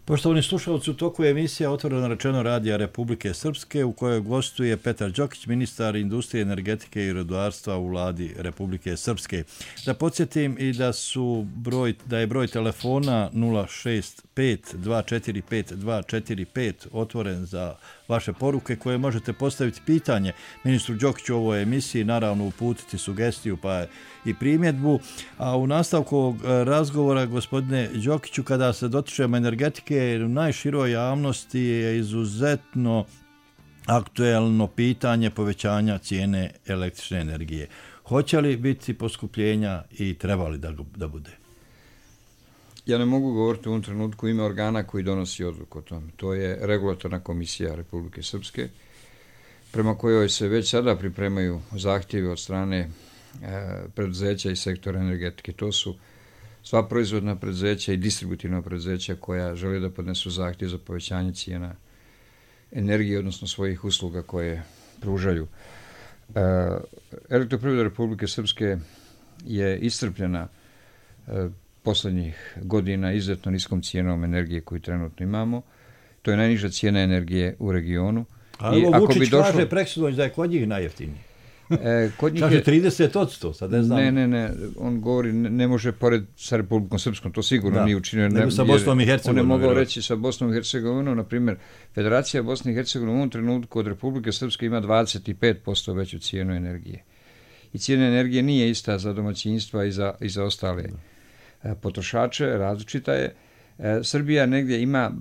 Poštovani slušalci, u toku je emisija Otvoreno rečeno radija Republike Srpske u kojoj gostuje Petar Đokić, ministar industrije, energetike i rudarstva u vladi Republike Srpske. Da podsjetim i da je broj telefona 065 245 245 otvoren za vaše poruke koje možete postaviti pitanje ministru Đokiću u ovoj emisiji, naravno uputiti sugestiju pa i primjedbu. A u nastavku ovog razgovora, gospodine Đokiću, kada se dotičemo energetike, u najširoj javnosti je izuzetno aktuelno pitanje povećanja cijene električne energije. Hoće li biti poskupljenja i treba li da bude? Ja ne mogu govoriti u ovom trenutku ime organa koji donosi odluku o tome. To je regulatorna komisija Republike Srpske, prema kojoj se već sada pripremaju zahtjevi od strane preduzeća i sektora energetike. To su sva proizvodna preduzeća i distributivna preduzeća koja žele da podnesu zahtjev za povećanje cijena energije, odnosno svojih usluga koje pružaju. Elektroprivreda Republike Srpske je iscrpljena posljednjih godina izuzetno niskom cijenom energije koju trenutno imamo. To je najniža cijena energije u regionu. Ali Vučić kaže preksinoć da je kod njih najjeftiniji. Kaže 30%, sad ne znam. Ne, on govori ne može pored sa Republikom Srpskom, to sigurno nije učinio. Nego sa Bosnom i Hercegovinom. On je mogao reći sa Bosnom i Hercegovinom, na primjer, Federacija Bosne i Hercegovine u ovom trenutku od Republike Srpske ima 25% veću cijenu energije. I cijena energije nije ista za domaćinstva i za ostale potrošače, različita je. Srbija negdje ima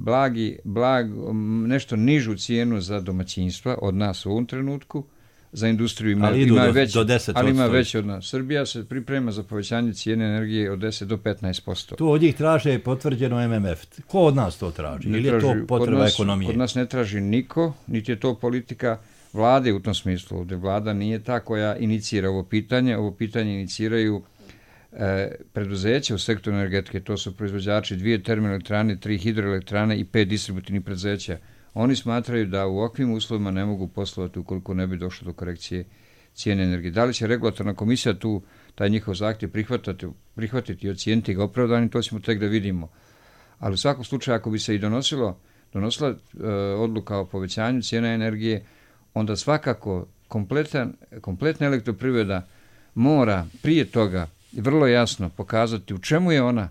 nešto nižu cijenu za domaćinstva od nas u ovom trenutku. Za industriju ima veće od nas. Srbija se priprema za povećanje cijene energije od 10 do 15%. To od njih traže potvrđeno MMF. Ko od nas to traži? Ili je to potreba ekonomije? Kod nas ne traži niko, niti je to politika vlade u tom smislu. Ovdje vlada nije ta koja inicira ovo pitanje. Ovo pitanje iniciraju preduzeća u sektoru energetike. To su proizvođači 2 termoelektrane, 3 hidroelektrane i 5 distributivnih preduzeća. Oni smatraju da u ovakvim uslovima ne mogu poslovati ukoliko ne bi došlo do korekcije cijene energije. Da li će regulatorna komisija tu taj njihov zahtjev prihvatiti i ocijeniti ga opravdanim, to ćemo tek da vidimo. Ali u svakom slučaju, ako bi se i donosila odluka o povećanju cijene energije, onda svakako kompletna elektroprivreda mora prije toga vrlo jasno pokazati u čemu je ona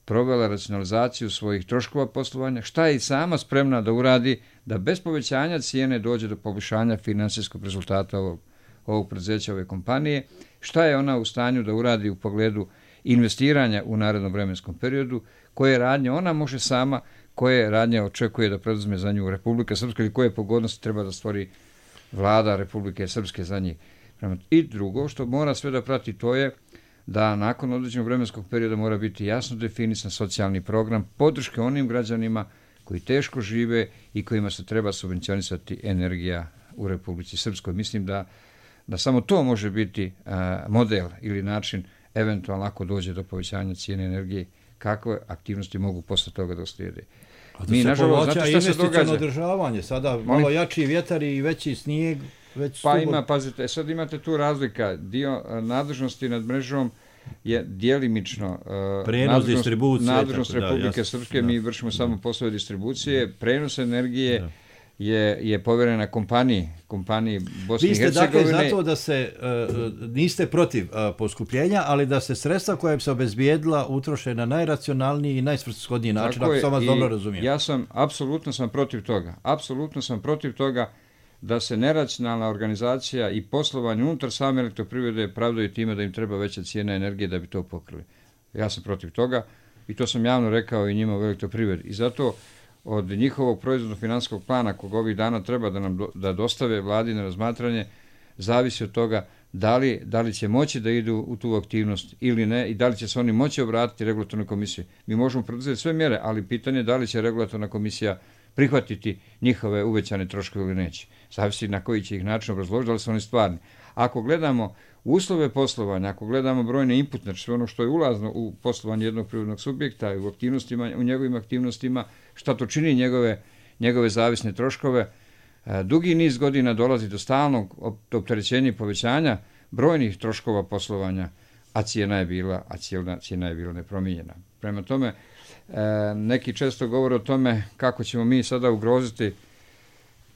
provela racionalizaciju svojih troškova poslovanja, šta je i sama spremna da uradi da bez povećanja cijene dođe do poboljšanja financijskog rezultata ovog preduzeća, ove kompanije, šta je ona u stanju da uradi u pogledu investiranja u narednom vremenskom periodu, koje radnje ona može sama, koje radnje očekuje da preduzme za nju Republika Srpska ili koje pogodnosti treba da stvori vlada Republike Srpske za njih. I drugo, što mora sve da prati, to je da nakon određenog vremenskog perioda mora biti jasno definisan socijalni program podrške onim građanima koji teško žive i kojima se treba subvencionisati energija u Republici Srpskoj. Mislim da samo to može biti model ili način, eventualno ako dođe do povećanja cijene energije, kakve aktivnosti mogu posle toga da slijede. Mi, nažalost, znate šta se događa? Održavanje, sada malo jači vjetar i veći snijeg. Pazite, sad imate tu razlika. Dio nadležnosti nad mrežom je djelimično nadležnost Republike Srpske, mi vršimo samo poslove distribucije, prenos energije je povjerena kompaniji Bosne i Hercegovine. Vi ste dakle zato da se niste protiv poskupljenja, ali da se sredstva koja bi se obezbijedila utroše na najracionalniji i najsvrsishodniji način, ako sam vas dobro razumijem. Apsolutno sam protiv toga da se neracionalna organizacija i poslovanje unutar same elektroprivrede pravdaju time da im treba veća cijena energije da bi to pokrili. Ja sam protiv toga i to sam javno rekao i njima u elektroprivredi. I zato od njihovog proizvodnog financijskog plana kog ovih dana treba da dostave vladi na razmatranje, zavisi od toga da li će moći da idu u tu aktivnost ili ne i da li će se oni moći obratiti regulatornoj komisiji. Mi možemo preduzeti sve mjere, ali pitanje je da li će regulatorna komisija prihvatiti njihove uvećane troškove ili neće. Zavisi na koji će ih način obrazložiti, da li su oni stvarni. Ako gledamo uslove poslovanja, ako gledamo brojne input, znači sve ono što je ulazno u poslovanje jednog privrednog subjekta i u njegovim aktivnostima, šta to čini njegove zavisne troškove, dugi niz godina dolazi do stalnog opterećenja i povećanja brojnih troškova poslovanja, a cijena je bila nepromijenjena. Prema tome, neki često govore o tome kako ćemo mi sada ugroziti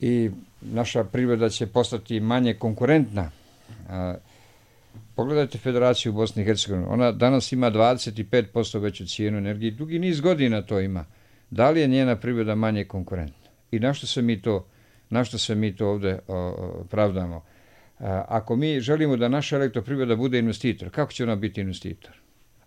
i naša privreda će postati manje konkurentna. Pogledajte Federaciju Bosne i Hercegovine. Ona danas ima 25% veću cijenu energije. Dugi niz godina to ima. Da li je njena privreda manje konkurentna? I na što se mi to ovdje pravdamo? Ako mi želimo da naša elektroprivreda bude investitor, kako će ona biti investitor?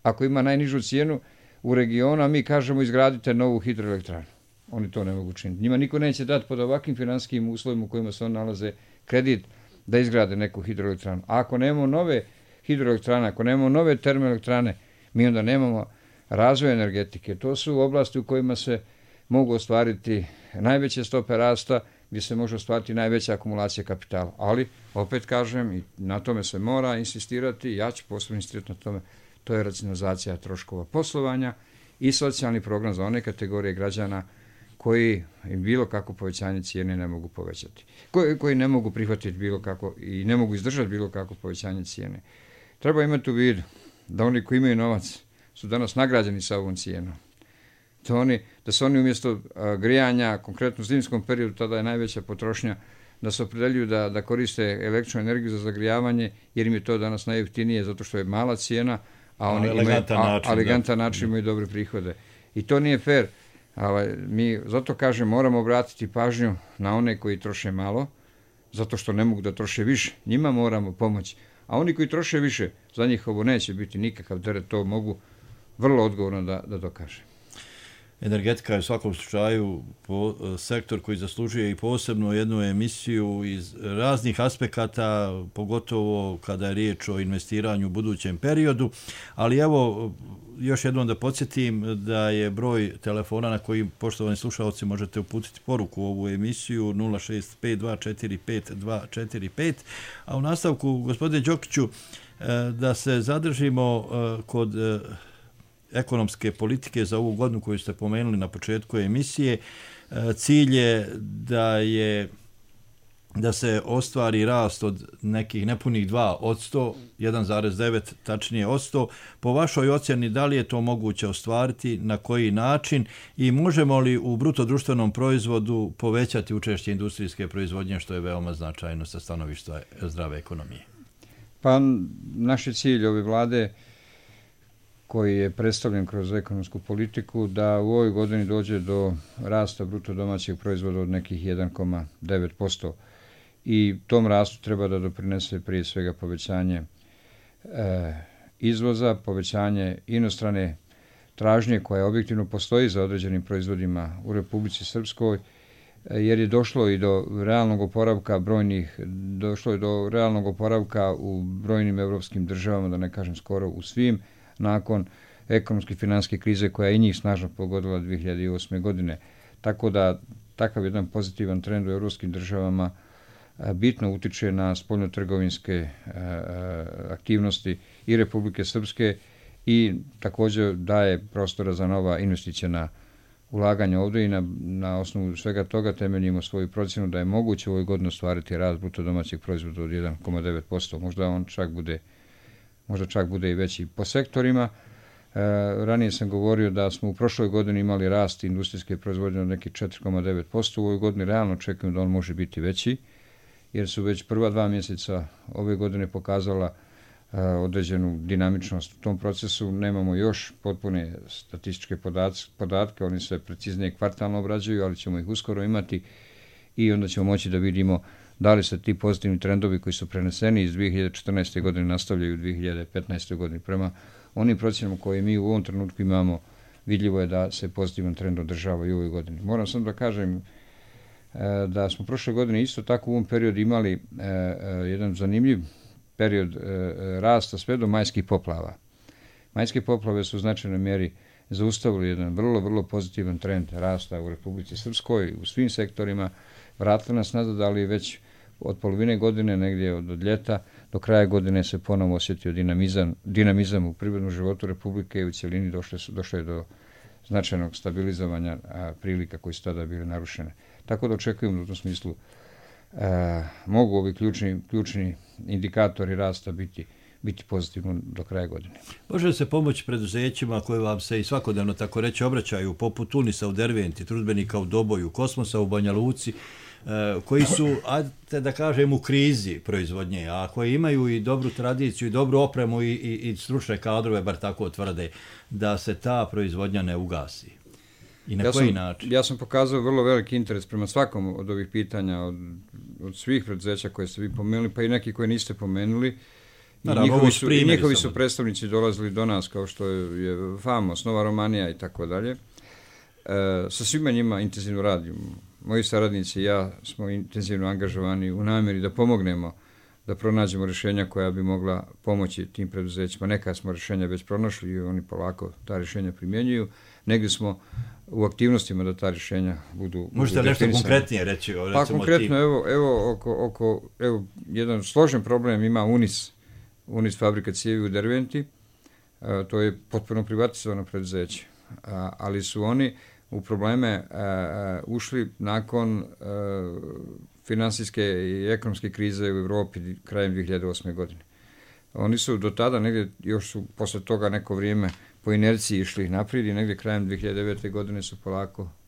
Ako ima najnižu cijenu u regionu, a mi kažemo izgradite novu hidroelektranu. Oni to ne mogu činiti. Njima niko neće dati pod ovakvim finansijskim uslovima u kojima se on nalaze kredit da izgrade neku hidroelektranu. A ako nemamo nove hidroelektrane, ako nemamo nove termoelektrane, mi onda nemamo razvoj energetike. To su oblasti u kojima se mogu ostvariti najveće stope rasta, gdje se može ostvariti najveća akumulacija kapitala. Ali, opet kažem, i na tome se mora insistirati, ja ću posebno insistirati na tome, to je racionalizacija troškova poslovanja i socijalni program za one kategorije građana koji bilo kako povećanje cijene ne mogu povećati, koji ne mogu prihvatiti bilo kako i ne mogu izdržati bilo kako povećanje cijene. Treba imati u vidu da oni koji imaju novac su danas nagrađeni sa ovom cijenom. Da su oni umjesto grijanja, konkretno u zimskom periodu, tada je najveća potrošnja, da se opredjeljuju da koriste električnu energiju za zagrijavanje, jer im je to danas najjeftinije zato što je mala cijena, a oni elegantan način imaju dobre prihode. I to nije fair. Mi zato kažem, moramo obratiti pažnju na one koji troše malo, zato što ne mogu da troše više. Njima moramo pomoći. A oni koji troše više, za njih ovo neće biti nikakav teret, to mogu vrlo odgovorno da dokaže. Energetika je u svakom slučaju sektor koji zaslužuje i posebno jednu emisiju iz raznih aspekata, pogotovo kada je riječ o investiranju u budućem periodu. Ali evo, još jednom da podsjetim da je broj telefona na koji, poštovani slušalci, možete uputiti poruku u ovu emisiju 065245245. A u nastavku, gospodine Đokiću, da se zadržimo kod ekonomske politike za ovu godinu koju ste pomenuli na početku emisije. Cilj je da se ostvari rast od nekih nepunih 2%, 1,9 tačnije odsto. Po vašoj ocjeni, da li je to moguće ostvariti, na koji način i možemo li u bruto društvenom proizvodu povećati učešće industrijske proizvodnje, što je veoma značajno sa stanovišta zdrave ekonomije? Pa naš je cilj ove vlade, koji je predstavljen kroz ekonomsku politiku, da u ovoj godini dođe do rasta bruto domaćeg proizvoda od nekih 1,9%. I tom rastu treba da doprinese prije svega povećanje izvoza, povećanje inostrane tražnje koja objektivno postoji za određenim proizvodima u Republici Srpskoj, jer je došlo i do realnog oporavka u brojnim evropskim državama, da ne kažem skoro u svim, nakon ekonomske i financijske krize koja je i njih snažno pogodila 2008. godine. Tako da takav jedan pozitivan trend u evropskim državama bitno utiče na spoljnotrgovinske aktivnosti i Republike Srpske i također daje prostora za nova investicijna ulaganja ovdje i na osnovu svega toga temeljimo svoju procjenu da je moguće u ovoj godini ostvariti rast bruto domaćeg proizvoda od 1,9%. Možda on čak bude i veći. Po sektorima, ranije sam govorio da smo u prošloj godini imali rast industrijske proizvodnje od nekih 4,9%. U ovoj godini realno očekujem da on može biti veći, jer su već prva 2 mjeseca ove godine pokazala određenu dinamičnost u tom procesu. Nemamo još potpune statističke podatke, oni se preciznije kvartalno obrađuju, ali ćemo ih uskoro imati i onda ćemo moći da vidimo da li se ti pozitivni trendovi koji su preneseni iz 2014. godine nastavljaju u 2015. godini. Prema onim procjenama koje mi u ovom trenutku imamo, vidljivo je da se pozitivan trend održava i u ovoj godini. Moram samo da kažem da smo prošle godine isto tako u ovom periodu imali jedan zanimljiv period rasta sve do majskih poplava. Majske poplave su u značajnoj mjeri zaustavili jedan vrlo, vrlo pozitivan trend rasta u Republici Srpskoj, u svim sektorima, vratili nas nazad, ali već od polovine godine, negdje od ljeta, do kraja godine se ponovo osjetio dinamizam u privrednom životu Republike i u cjelini došlo je do značajnog stabilizovanja prilika koji su tada bile narušene. Tako da očekujem da u tom smislu mogu ovi ključni indikatori rasta biti pozitivno do kraja godine. Može se pomoći preduzećima koje vam se i svakodnevno tako reći obraćaju, poput Unisa u Derventi, Trudbenika u Doboju, Kosmosa u Banja Luci, koji su, da kažem, u krizi proizvodnje, a koji imaju i dobru tradiciju i dobru opremu i stručne kadrove, bar tako tvrde, da se ta proizvodnja ne ugasi. I na koji način? Ja sam pokazao vrlo veliki interes prema svakom od ovih pitanja, od svih preduzeća koje ste vi pomenuli, pa i neki koje niste pomenuli. I njihovi su predstavnici dolazili do nas, kao što je Famos, Nova Romanija i tako dalje. Sa svima njima intenzivno radimo. Moji saradnici i ja smo intenzivno angažovani u namjeri da pomognemo, da pronađemo rješenja koja bi mogla pomoći tim preduzećima. Neka smo rješenja već pronašli i oni polako ta rješenja primjenjuju. Negdje smo u aktivnostima da ta rješenja budu možete nešto konkretnije reći? Pa konkretno, evo jedan složen problem ima Unis fabrika cijevi u Derventi. To je potpuno privatizovano preduzeće, ali su oni u probleme ušli nakon finansijske i ekonomske krize u Europi krajem 2008. godine. Oni su do tada negdje, još su posle toga neko vrijeme po inerciji išli naprijed i negdje krajem 2009. godine su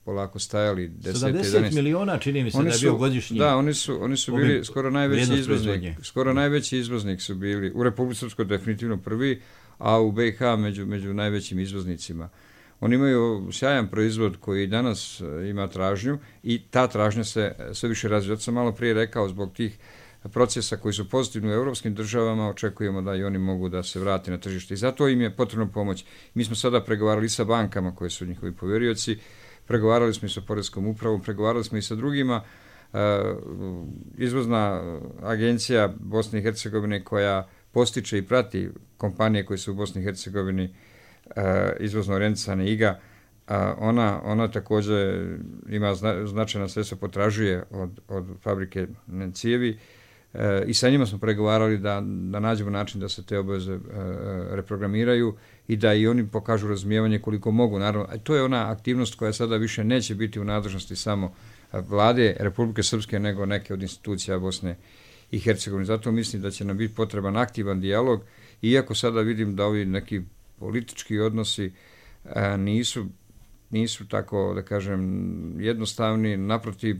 polako stajali. 70 miliona čini mi se da je bio godišnji. Da, oni su bili skoro najveći izvoznik su bili. U Republici Srpskoj definitivno prvi, a u BiH među najvećim izvoznicima. Oni imaju sjajan proizvod koji danas ima tražnju i ta tražnja se sve više razvija. To sam malo prije rekao, zbog tih procesa koji su pozitivni u europskim državama, očekujemo da i oni mogu da se vrate na tržište. I zato im je potrebno pomoć. Mi smo sada pregovarali sa bankama koje su njihovi povjerioci, pregovarali smo i sa Poreskom upravom, pregovarali smo i sa drugima. Izvozna agencija Bosne i Hercegovine koja postiče i prati kompanije koje su u Bosni i Hercegovini izvozno orijentisane IGA, ona također ima značajna sredstva, potražuje od fabrike cijevi i sa njima smo pregovarali da nađemo način da se te obaveze reprogramiraju i da i oni pokažu razumijevanje koliko mogu. Naravno, to je ona aktivnost koja sada više neće biti u nadležnosti samo vlade Republike Srpske, nego neke od institucija Bosne i Hercegovine. Zato mislim da će nam biti potreban aktivan dijalog, iako sada vidim da ovi neki politički odnosi nisu tako, da kažem, jednostavni, naprotiv,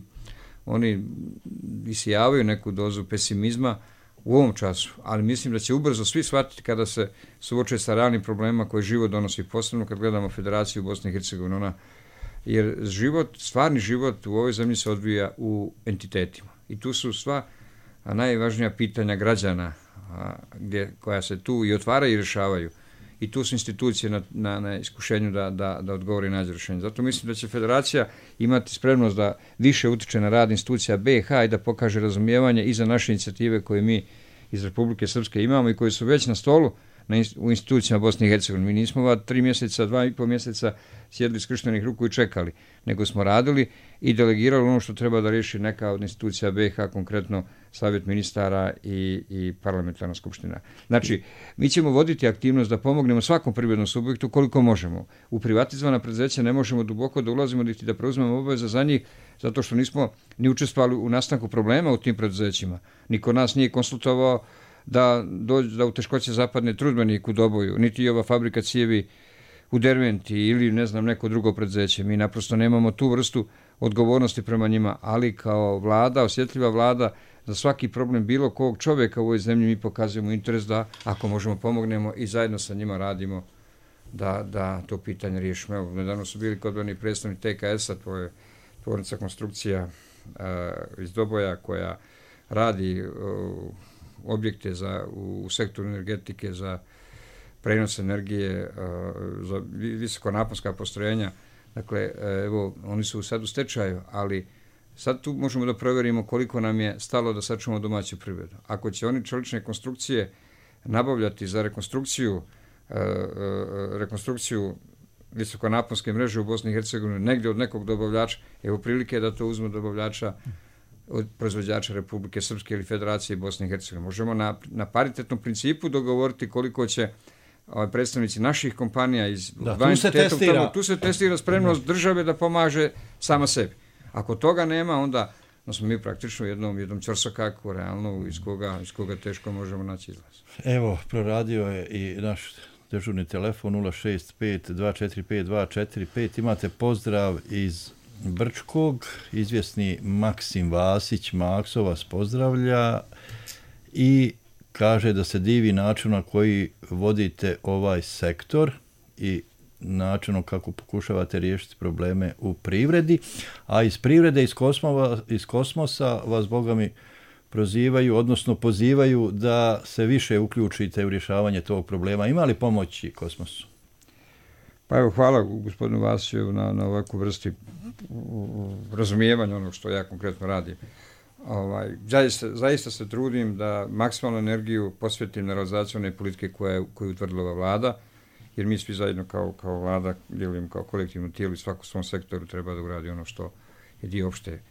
oni isijavaju neku dozu pesimizma u ovom času, ali mislim da će ubrzo svi shvatiti kada se suoče sa realnim problemima koje život donosi, posebno kad gledamo Federaciju Bosne i Hercegovine, jer stvarni život u ovoj zemlji se odvija u entitetima i tu su sva najvažnija pitanja građana koja se tu i otvaraju i rješavaju. I tu su institucije na iskušenju da odgovori i nađe rješenje. Zato mislim da će Federacija imati spremnost da više utiče na rad institucija BiH i da pokaže razumijevanje i za naše inicijative koje mi iz Republike Srpske imamo i koje su već na stolu u institucijama Bosne i Hercegovine. Mi nismo 2,5 mjeseca sjedili skrštenih ruku i čekali, nego smo radili i delegirali ono što treba da riješi neka od institucija BiH, konkretno Savjet ministara i parlamentarna skupština. Znači, mi ćemo voditi aktivnost da pomognemo svakom privrednom subjektu koliko možemo. U privatizovana preduzeća ne možemo duboko da ulazimo niti da preuzmemo obaveze za njih, zato što nismo ni učestvovali u nastanku problema u tim preduzećima. Niko nas nije konsultovao da u teškoće zapadne Trudbenik u Doboju, niti ova fabrika cijevi u Derventi ili neko drugo preduzeće. Mi naprosto nemamo tu vrstu odgovornosti prema njima, ali kao vlada, osjetljiva vlada, za svaki problem bilo kog čovjeka u ovoj zemlji mi pokazujemo interes da, ako možemo, pomognemo i zajedno sa njima radimo da to pitanje riješimo. Evo, nedavno su bili kod mene predstavnik TKS-a, to je tvornica konstrukcija iz Doboja koja radi objekte u sektoru energetike za prenos energije, za visokonaponska postrojenja. Dakle, evo, oni su sad u stečaju, ali sad tu možemo da provjerimo koliko nam je stalo da sačuvamo domaću privredu. Ako će oni čelične konstrukcije nabavljati za rekonstrukciju visokonaponske mreže u Bosni i Hercegovini negdje od nekog dobavljača, evo prilike da to uzme dobavljača od proizvođača Republike Srpske ili Federacije Bosne i Hercegovine. Možemo na paritetnom principu dogovoriti koliko će predstavnici naših kompanija iz tu se testira spremnost države da pomaže sama sebi. Ako toga nema, onda smo mi praktično jednom ćorsokaku realno iz koga teško možemo naći izlaz. Evo, proradio je i naš dežurni telefon 065-245-245. Imate pozdrav iz Brčkog, izvjesni Maksim Vasić Makso vas pozdravlja i kaže da se divi načinu na koji vodite ovaj sektor i načinom kako pokušavate riješiti probleme u privredi, a iz privrede, iz kosmosa vas, Boga mi, prozivaju, odnosno pozivaju da se više uključite u rješavanje tog problema. Ima li pomoći kosmosu? Pa evo, hvala gospodinu Vasiću na ovakvu vrsti razumijevanja onog što ja konkretno radim. Zaista se trudim da maksimalnu energiju posvetim na realizaciju one politike koju utvrdila ova vlada, jer mi svi zajedno kao vlada djelujemo kao kolektivno tijelo i svako u svom sektoru treba da uradi ono što je dio opšte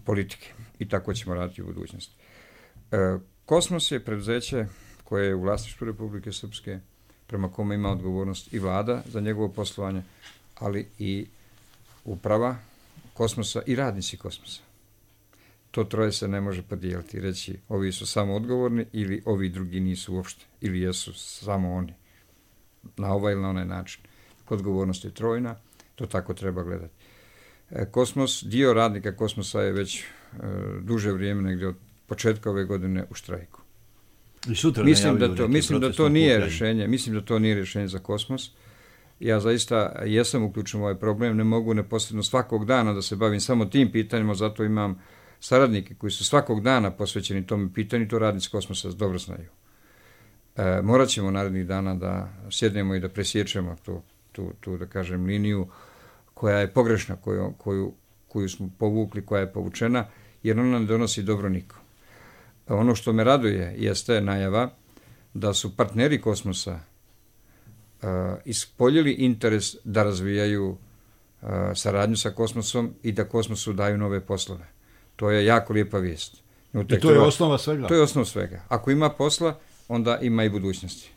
politike. I tako ćemo raditi u budućnosti. Kosmos je preduzeće koje je u vlasništvu Republike Srpske, prema kome ima odgovornost i vlada za njegovo poslovanje, ali i uprava Kosmosa i radnici Kosmosa. To troje se ne može podijeliti i reći ovi su samo odgovorni ili ovi drugi nisu uopšte, ili jesu samo oni. na ovaj ili na onaj način. Odgovornost je trojna, to tako treba gledati. Kosmos, dio radnika Kosmosa je već duže vrijeme, negdje od početka ove godine u štrajku. I sutra mislim da to nije rješenje. Mislim da to nije rješenje za Kosmos. Ja zaista jesam uključen u ovaj problem, ne mogu neposredno svakog dana da se bavim samo tim pitanjima, zato imam saradnike koji su svakog dana posvećeni tome pitanju, to radnici Kosmosa dobro znaju. Morat ćemo narednih dana da sjednemo i da presječemo tu da kažem liniju koja je pogrešna, koju smo povukli, koja je povučena, jer ona ne donosi dobro nikom. Ono što me raduje jeste najava da su partneri Kosmosa ispoljili interes da razvijaju saradnju sa Kosmosom i da Kosmosu daju nove poslove. To je jako lijepa vijest. I to je osnova svega? To je osnova svega. Ako ima posla, onda ima i budućnosti.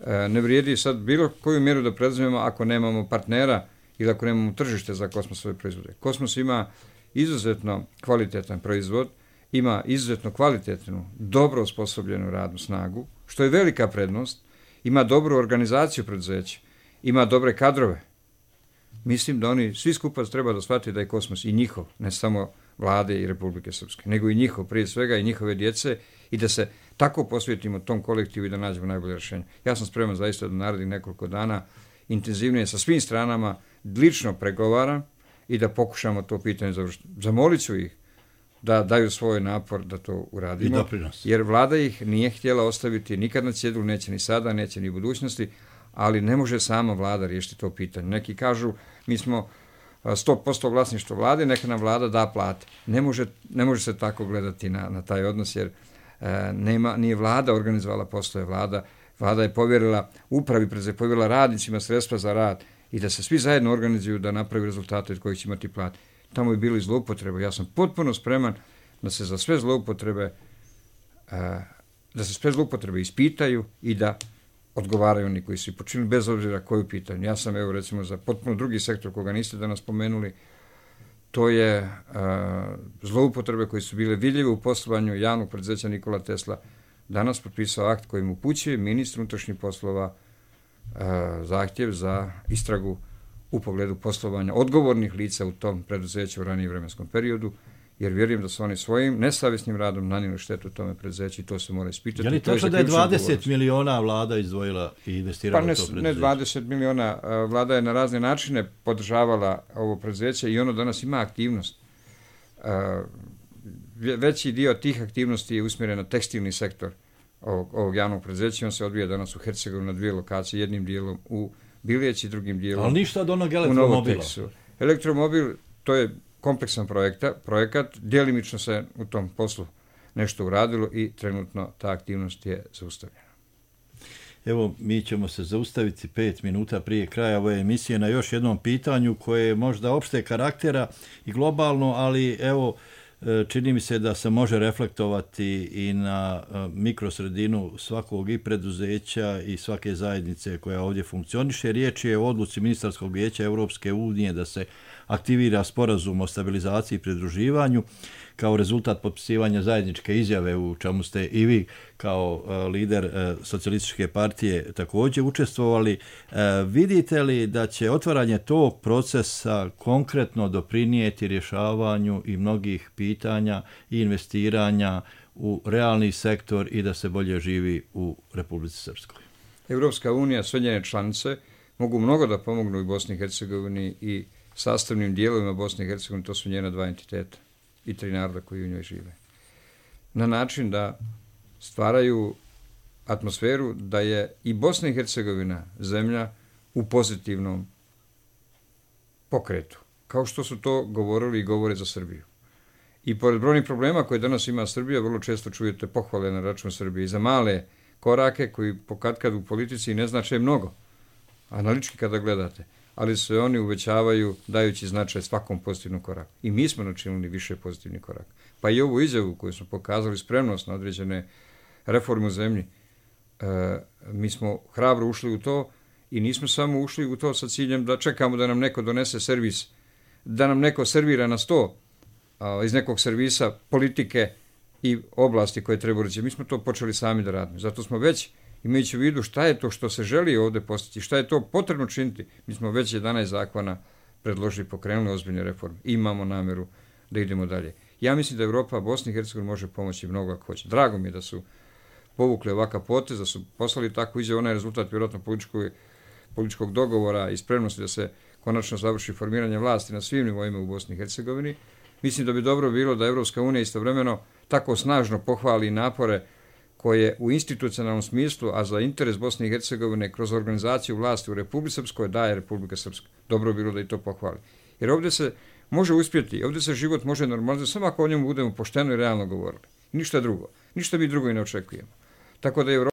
Ne vrijedi sad bilo koju mjeru da preduzmemo ako nemamo partnera ili ako nemamo tržište za Kosmosove proizvode. Kosmos ima izuzetno kvalitetan proizvod, ima izuzetno kvalitetnu, dobro osposobljenu radnu snagu, što je velika prednost, ima dobru organizaciju preduzeća, ima dobre kadrove. Mislim da oni svi skupa treba da shvati da je Kosmos i njihov, ne samo Vlade i Republike Srpske, nego i njihov, prije svega i njihove djece, i da se tako posvetimo tom kolektivu i da nađemo najbolje rješenje. Ja sam spreman zaista da narednih nekoliko dana intenzivnije sa svim stranama lično pregovaram i da pokušamo to pitanje završiti. Zamolit ću ih da daju svoj napor da to uradimo, jer Vlada ih nije htjela ostaviti nikad na cjedilu, neće ni sada, neće ni u budućnosti, ali ne može sama Vlada riješiti to pitanje. Neki kažu, mi smo 100% vlasništvo Vlade, neka nam Vlada da plate. Ne može se tako gledati na taj odnos, jer nije Vlada organizovala poslove, Vlada je povjerila upravi, povjerila radnicima sredstva za rad i da se svi zajedno organizuju da napravi rezultate od kojih će imati plate. Tamo je bilo i zloupotrebe. Ja sam potpuno spreman da se za sve zloupotrebe ispitaju i da odgovaraju oni koji su počinili, bez obzira koju pitanju. Ja sam, evo recimo, za potpuno drugi sektor koga niste danas spomenuli, to je zloupotrebe koje su bile vidljive u poslovanju javnog preduzeća Nikola Tesla. Danas potpisao akt kojim upućuje ministru unutrašnjih poslova zahtjev za istragu u pogledu poslovanja odgovornih lica u tom preduzeću u ranijem vremenskom periodu, jer vjerujem da su oni svojim nesavjesnim radom nanijeli štetu tome preduzeću i to se mora ispitati. Je li tačno da je 20 miliona Vlada izdvojila i investirala u to preduzeće? Ne 20 miliona. Vlada je na razne načine podržavala ovo preduzeće i ono danas ima aktivnost. Veći dio tih aktivnosti je usmjeren na tekstilni sektor ovog javnog preduzeća. On se odvija danas u Hercegovini na 2 lokacije, jednim dijelom u Biljeci, drugim dijelom ali ništa od onog elektromobila. Elektromobil, to je kompleksan projekat, djelimično se u tom poslu nešto uradilo i trenutno ta aktivnost je zaustavljena. Evo, mi ćemo se zaustaviti 5 minuta prije kraja ove emisije na još jednom pitanju koje je možda opšte karaktera i globalno, ali evo, čini mi se da se može reflektovati i na mikrosredinu svakog i preduzeća i svake zajednice koja ovdje funkcioniše. Riječ je o odluci Ministarskog vijeća Europske unije da se aktivira sporazum o stabilizaciji i pridruživanju kao rezultat potpisivanja zajedničke izjave u čemu ste i vi kao lider socijalističke partije također učestvovali. Vidite li da će otvaranje tog procesa konkretno doprinijeti rješavanju i mnogih pitanja i investiranja u realni sektor i da se bolje živi u Republici Srpskoj? Europska unija, sve njene članice mogu mnogo da pomognu i Bosni i Hercegovini i sastavnim dijelovima Bosne i Hercegovine, to su njena 2 entiteta i 3 naroda koji u njoj žive. Na način da stvaraju atmosferu da je i Bosna i Hercegovina zemlja u pozitivnom pokretu, kao što su to govorili i govore za Srbiju. I pored brojnih problema koje danas ima Srbija, vrlo često čujete pohvale na račun Srbije i za male korake koji pokatkad u politici ne znače mnogo, analitički kada gledate, ali se oni uvećavaju dajući značaj svakom pozitivnom koraku. I mi smo načinili više pozitivnih koraka. Pa i ovu izjavu koju smo pokazali spremnost na određene reforme u zemlji, mi smo hrabro ušli u to i nismo samo ušli u to sa ciljem da čekamo da nam neko donese servis, da nam neko servira na sto iz nekog servisa politike i oblasti koje treba uređiti. Mi smo to počeli sami da radimo. Zato smo već imajući u vidu šta je to što se želi ovdje postići, šta je to potrebno činiti. Mi smo već 11 zakona predložili, pokrenuli ozbiljne reforme. Imamo namjeru da idemo dalje. Ja mislim da Europa Bosni i Hercegovini može pomoći mnogo ako hoće. Drago mi je da su povukli ovakav potez, da su poslali takvu izjavu, ona je rezultat vjerojatno političkog dogovora i spremnosti da se konačno završi formiranje vlasti na svim nivoima u Bosni i Hercegovini. Mislim da bi dobro bilo da Europska unija istovremeno tako snažno pohvali napore koje u institucionalnom smislu, a za interes Bosne i Hercegovine kroz organizaciju vlasti u Republici Srpskoj daje Republika Srpska. Dobro bi bilo da i to pohvali. Jer ovdje se može uspjeti, ovdje se život može normalizati samo ako o njemu budemo pošteno i realno govorili. Ništa drugo. Ništa mi drugo i ne očekujemo. Tako da je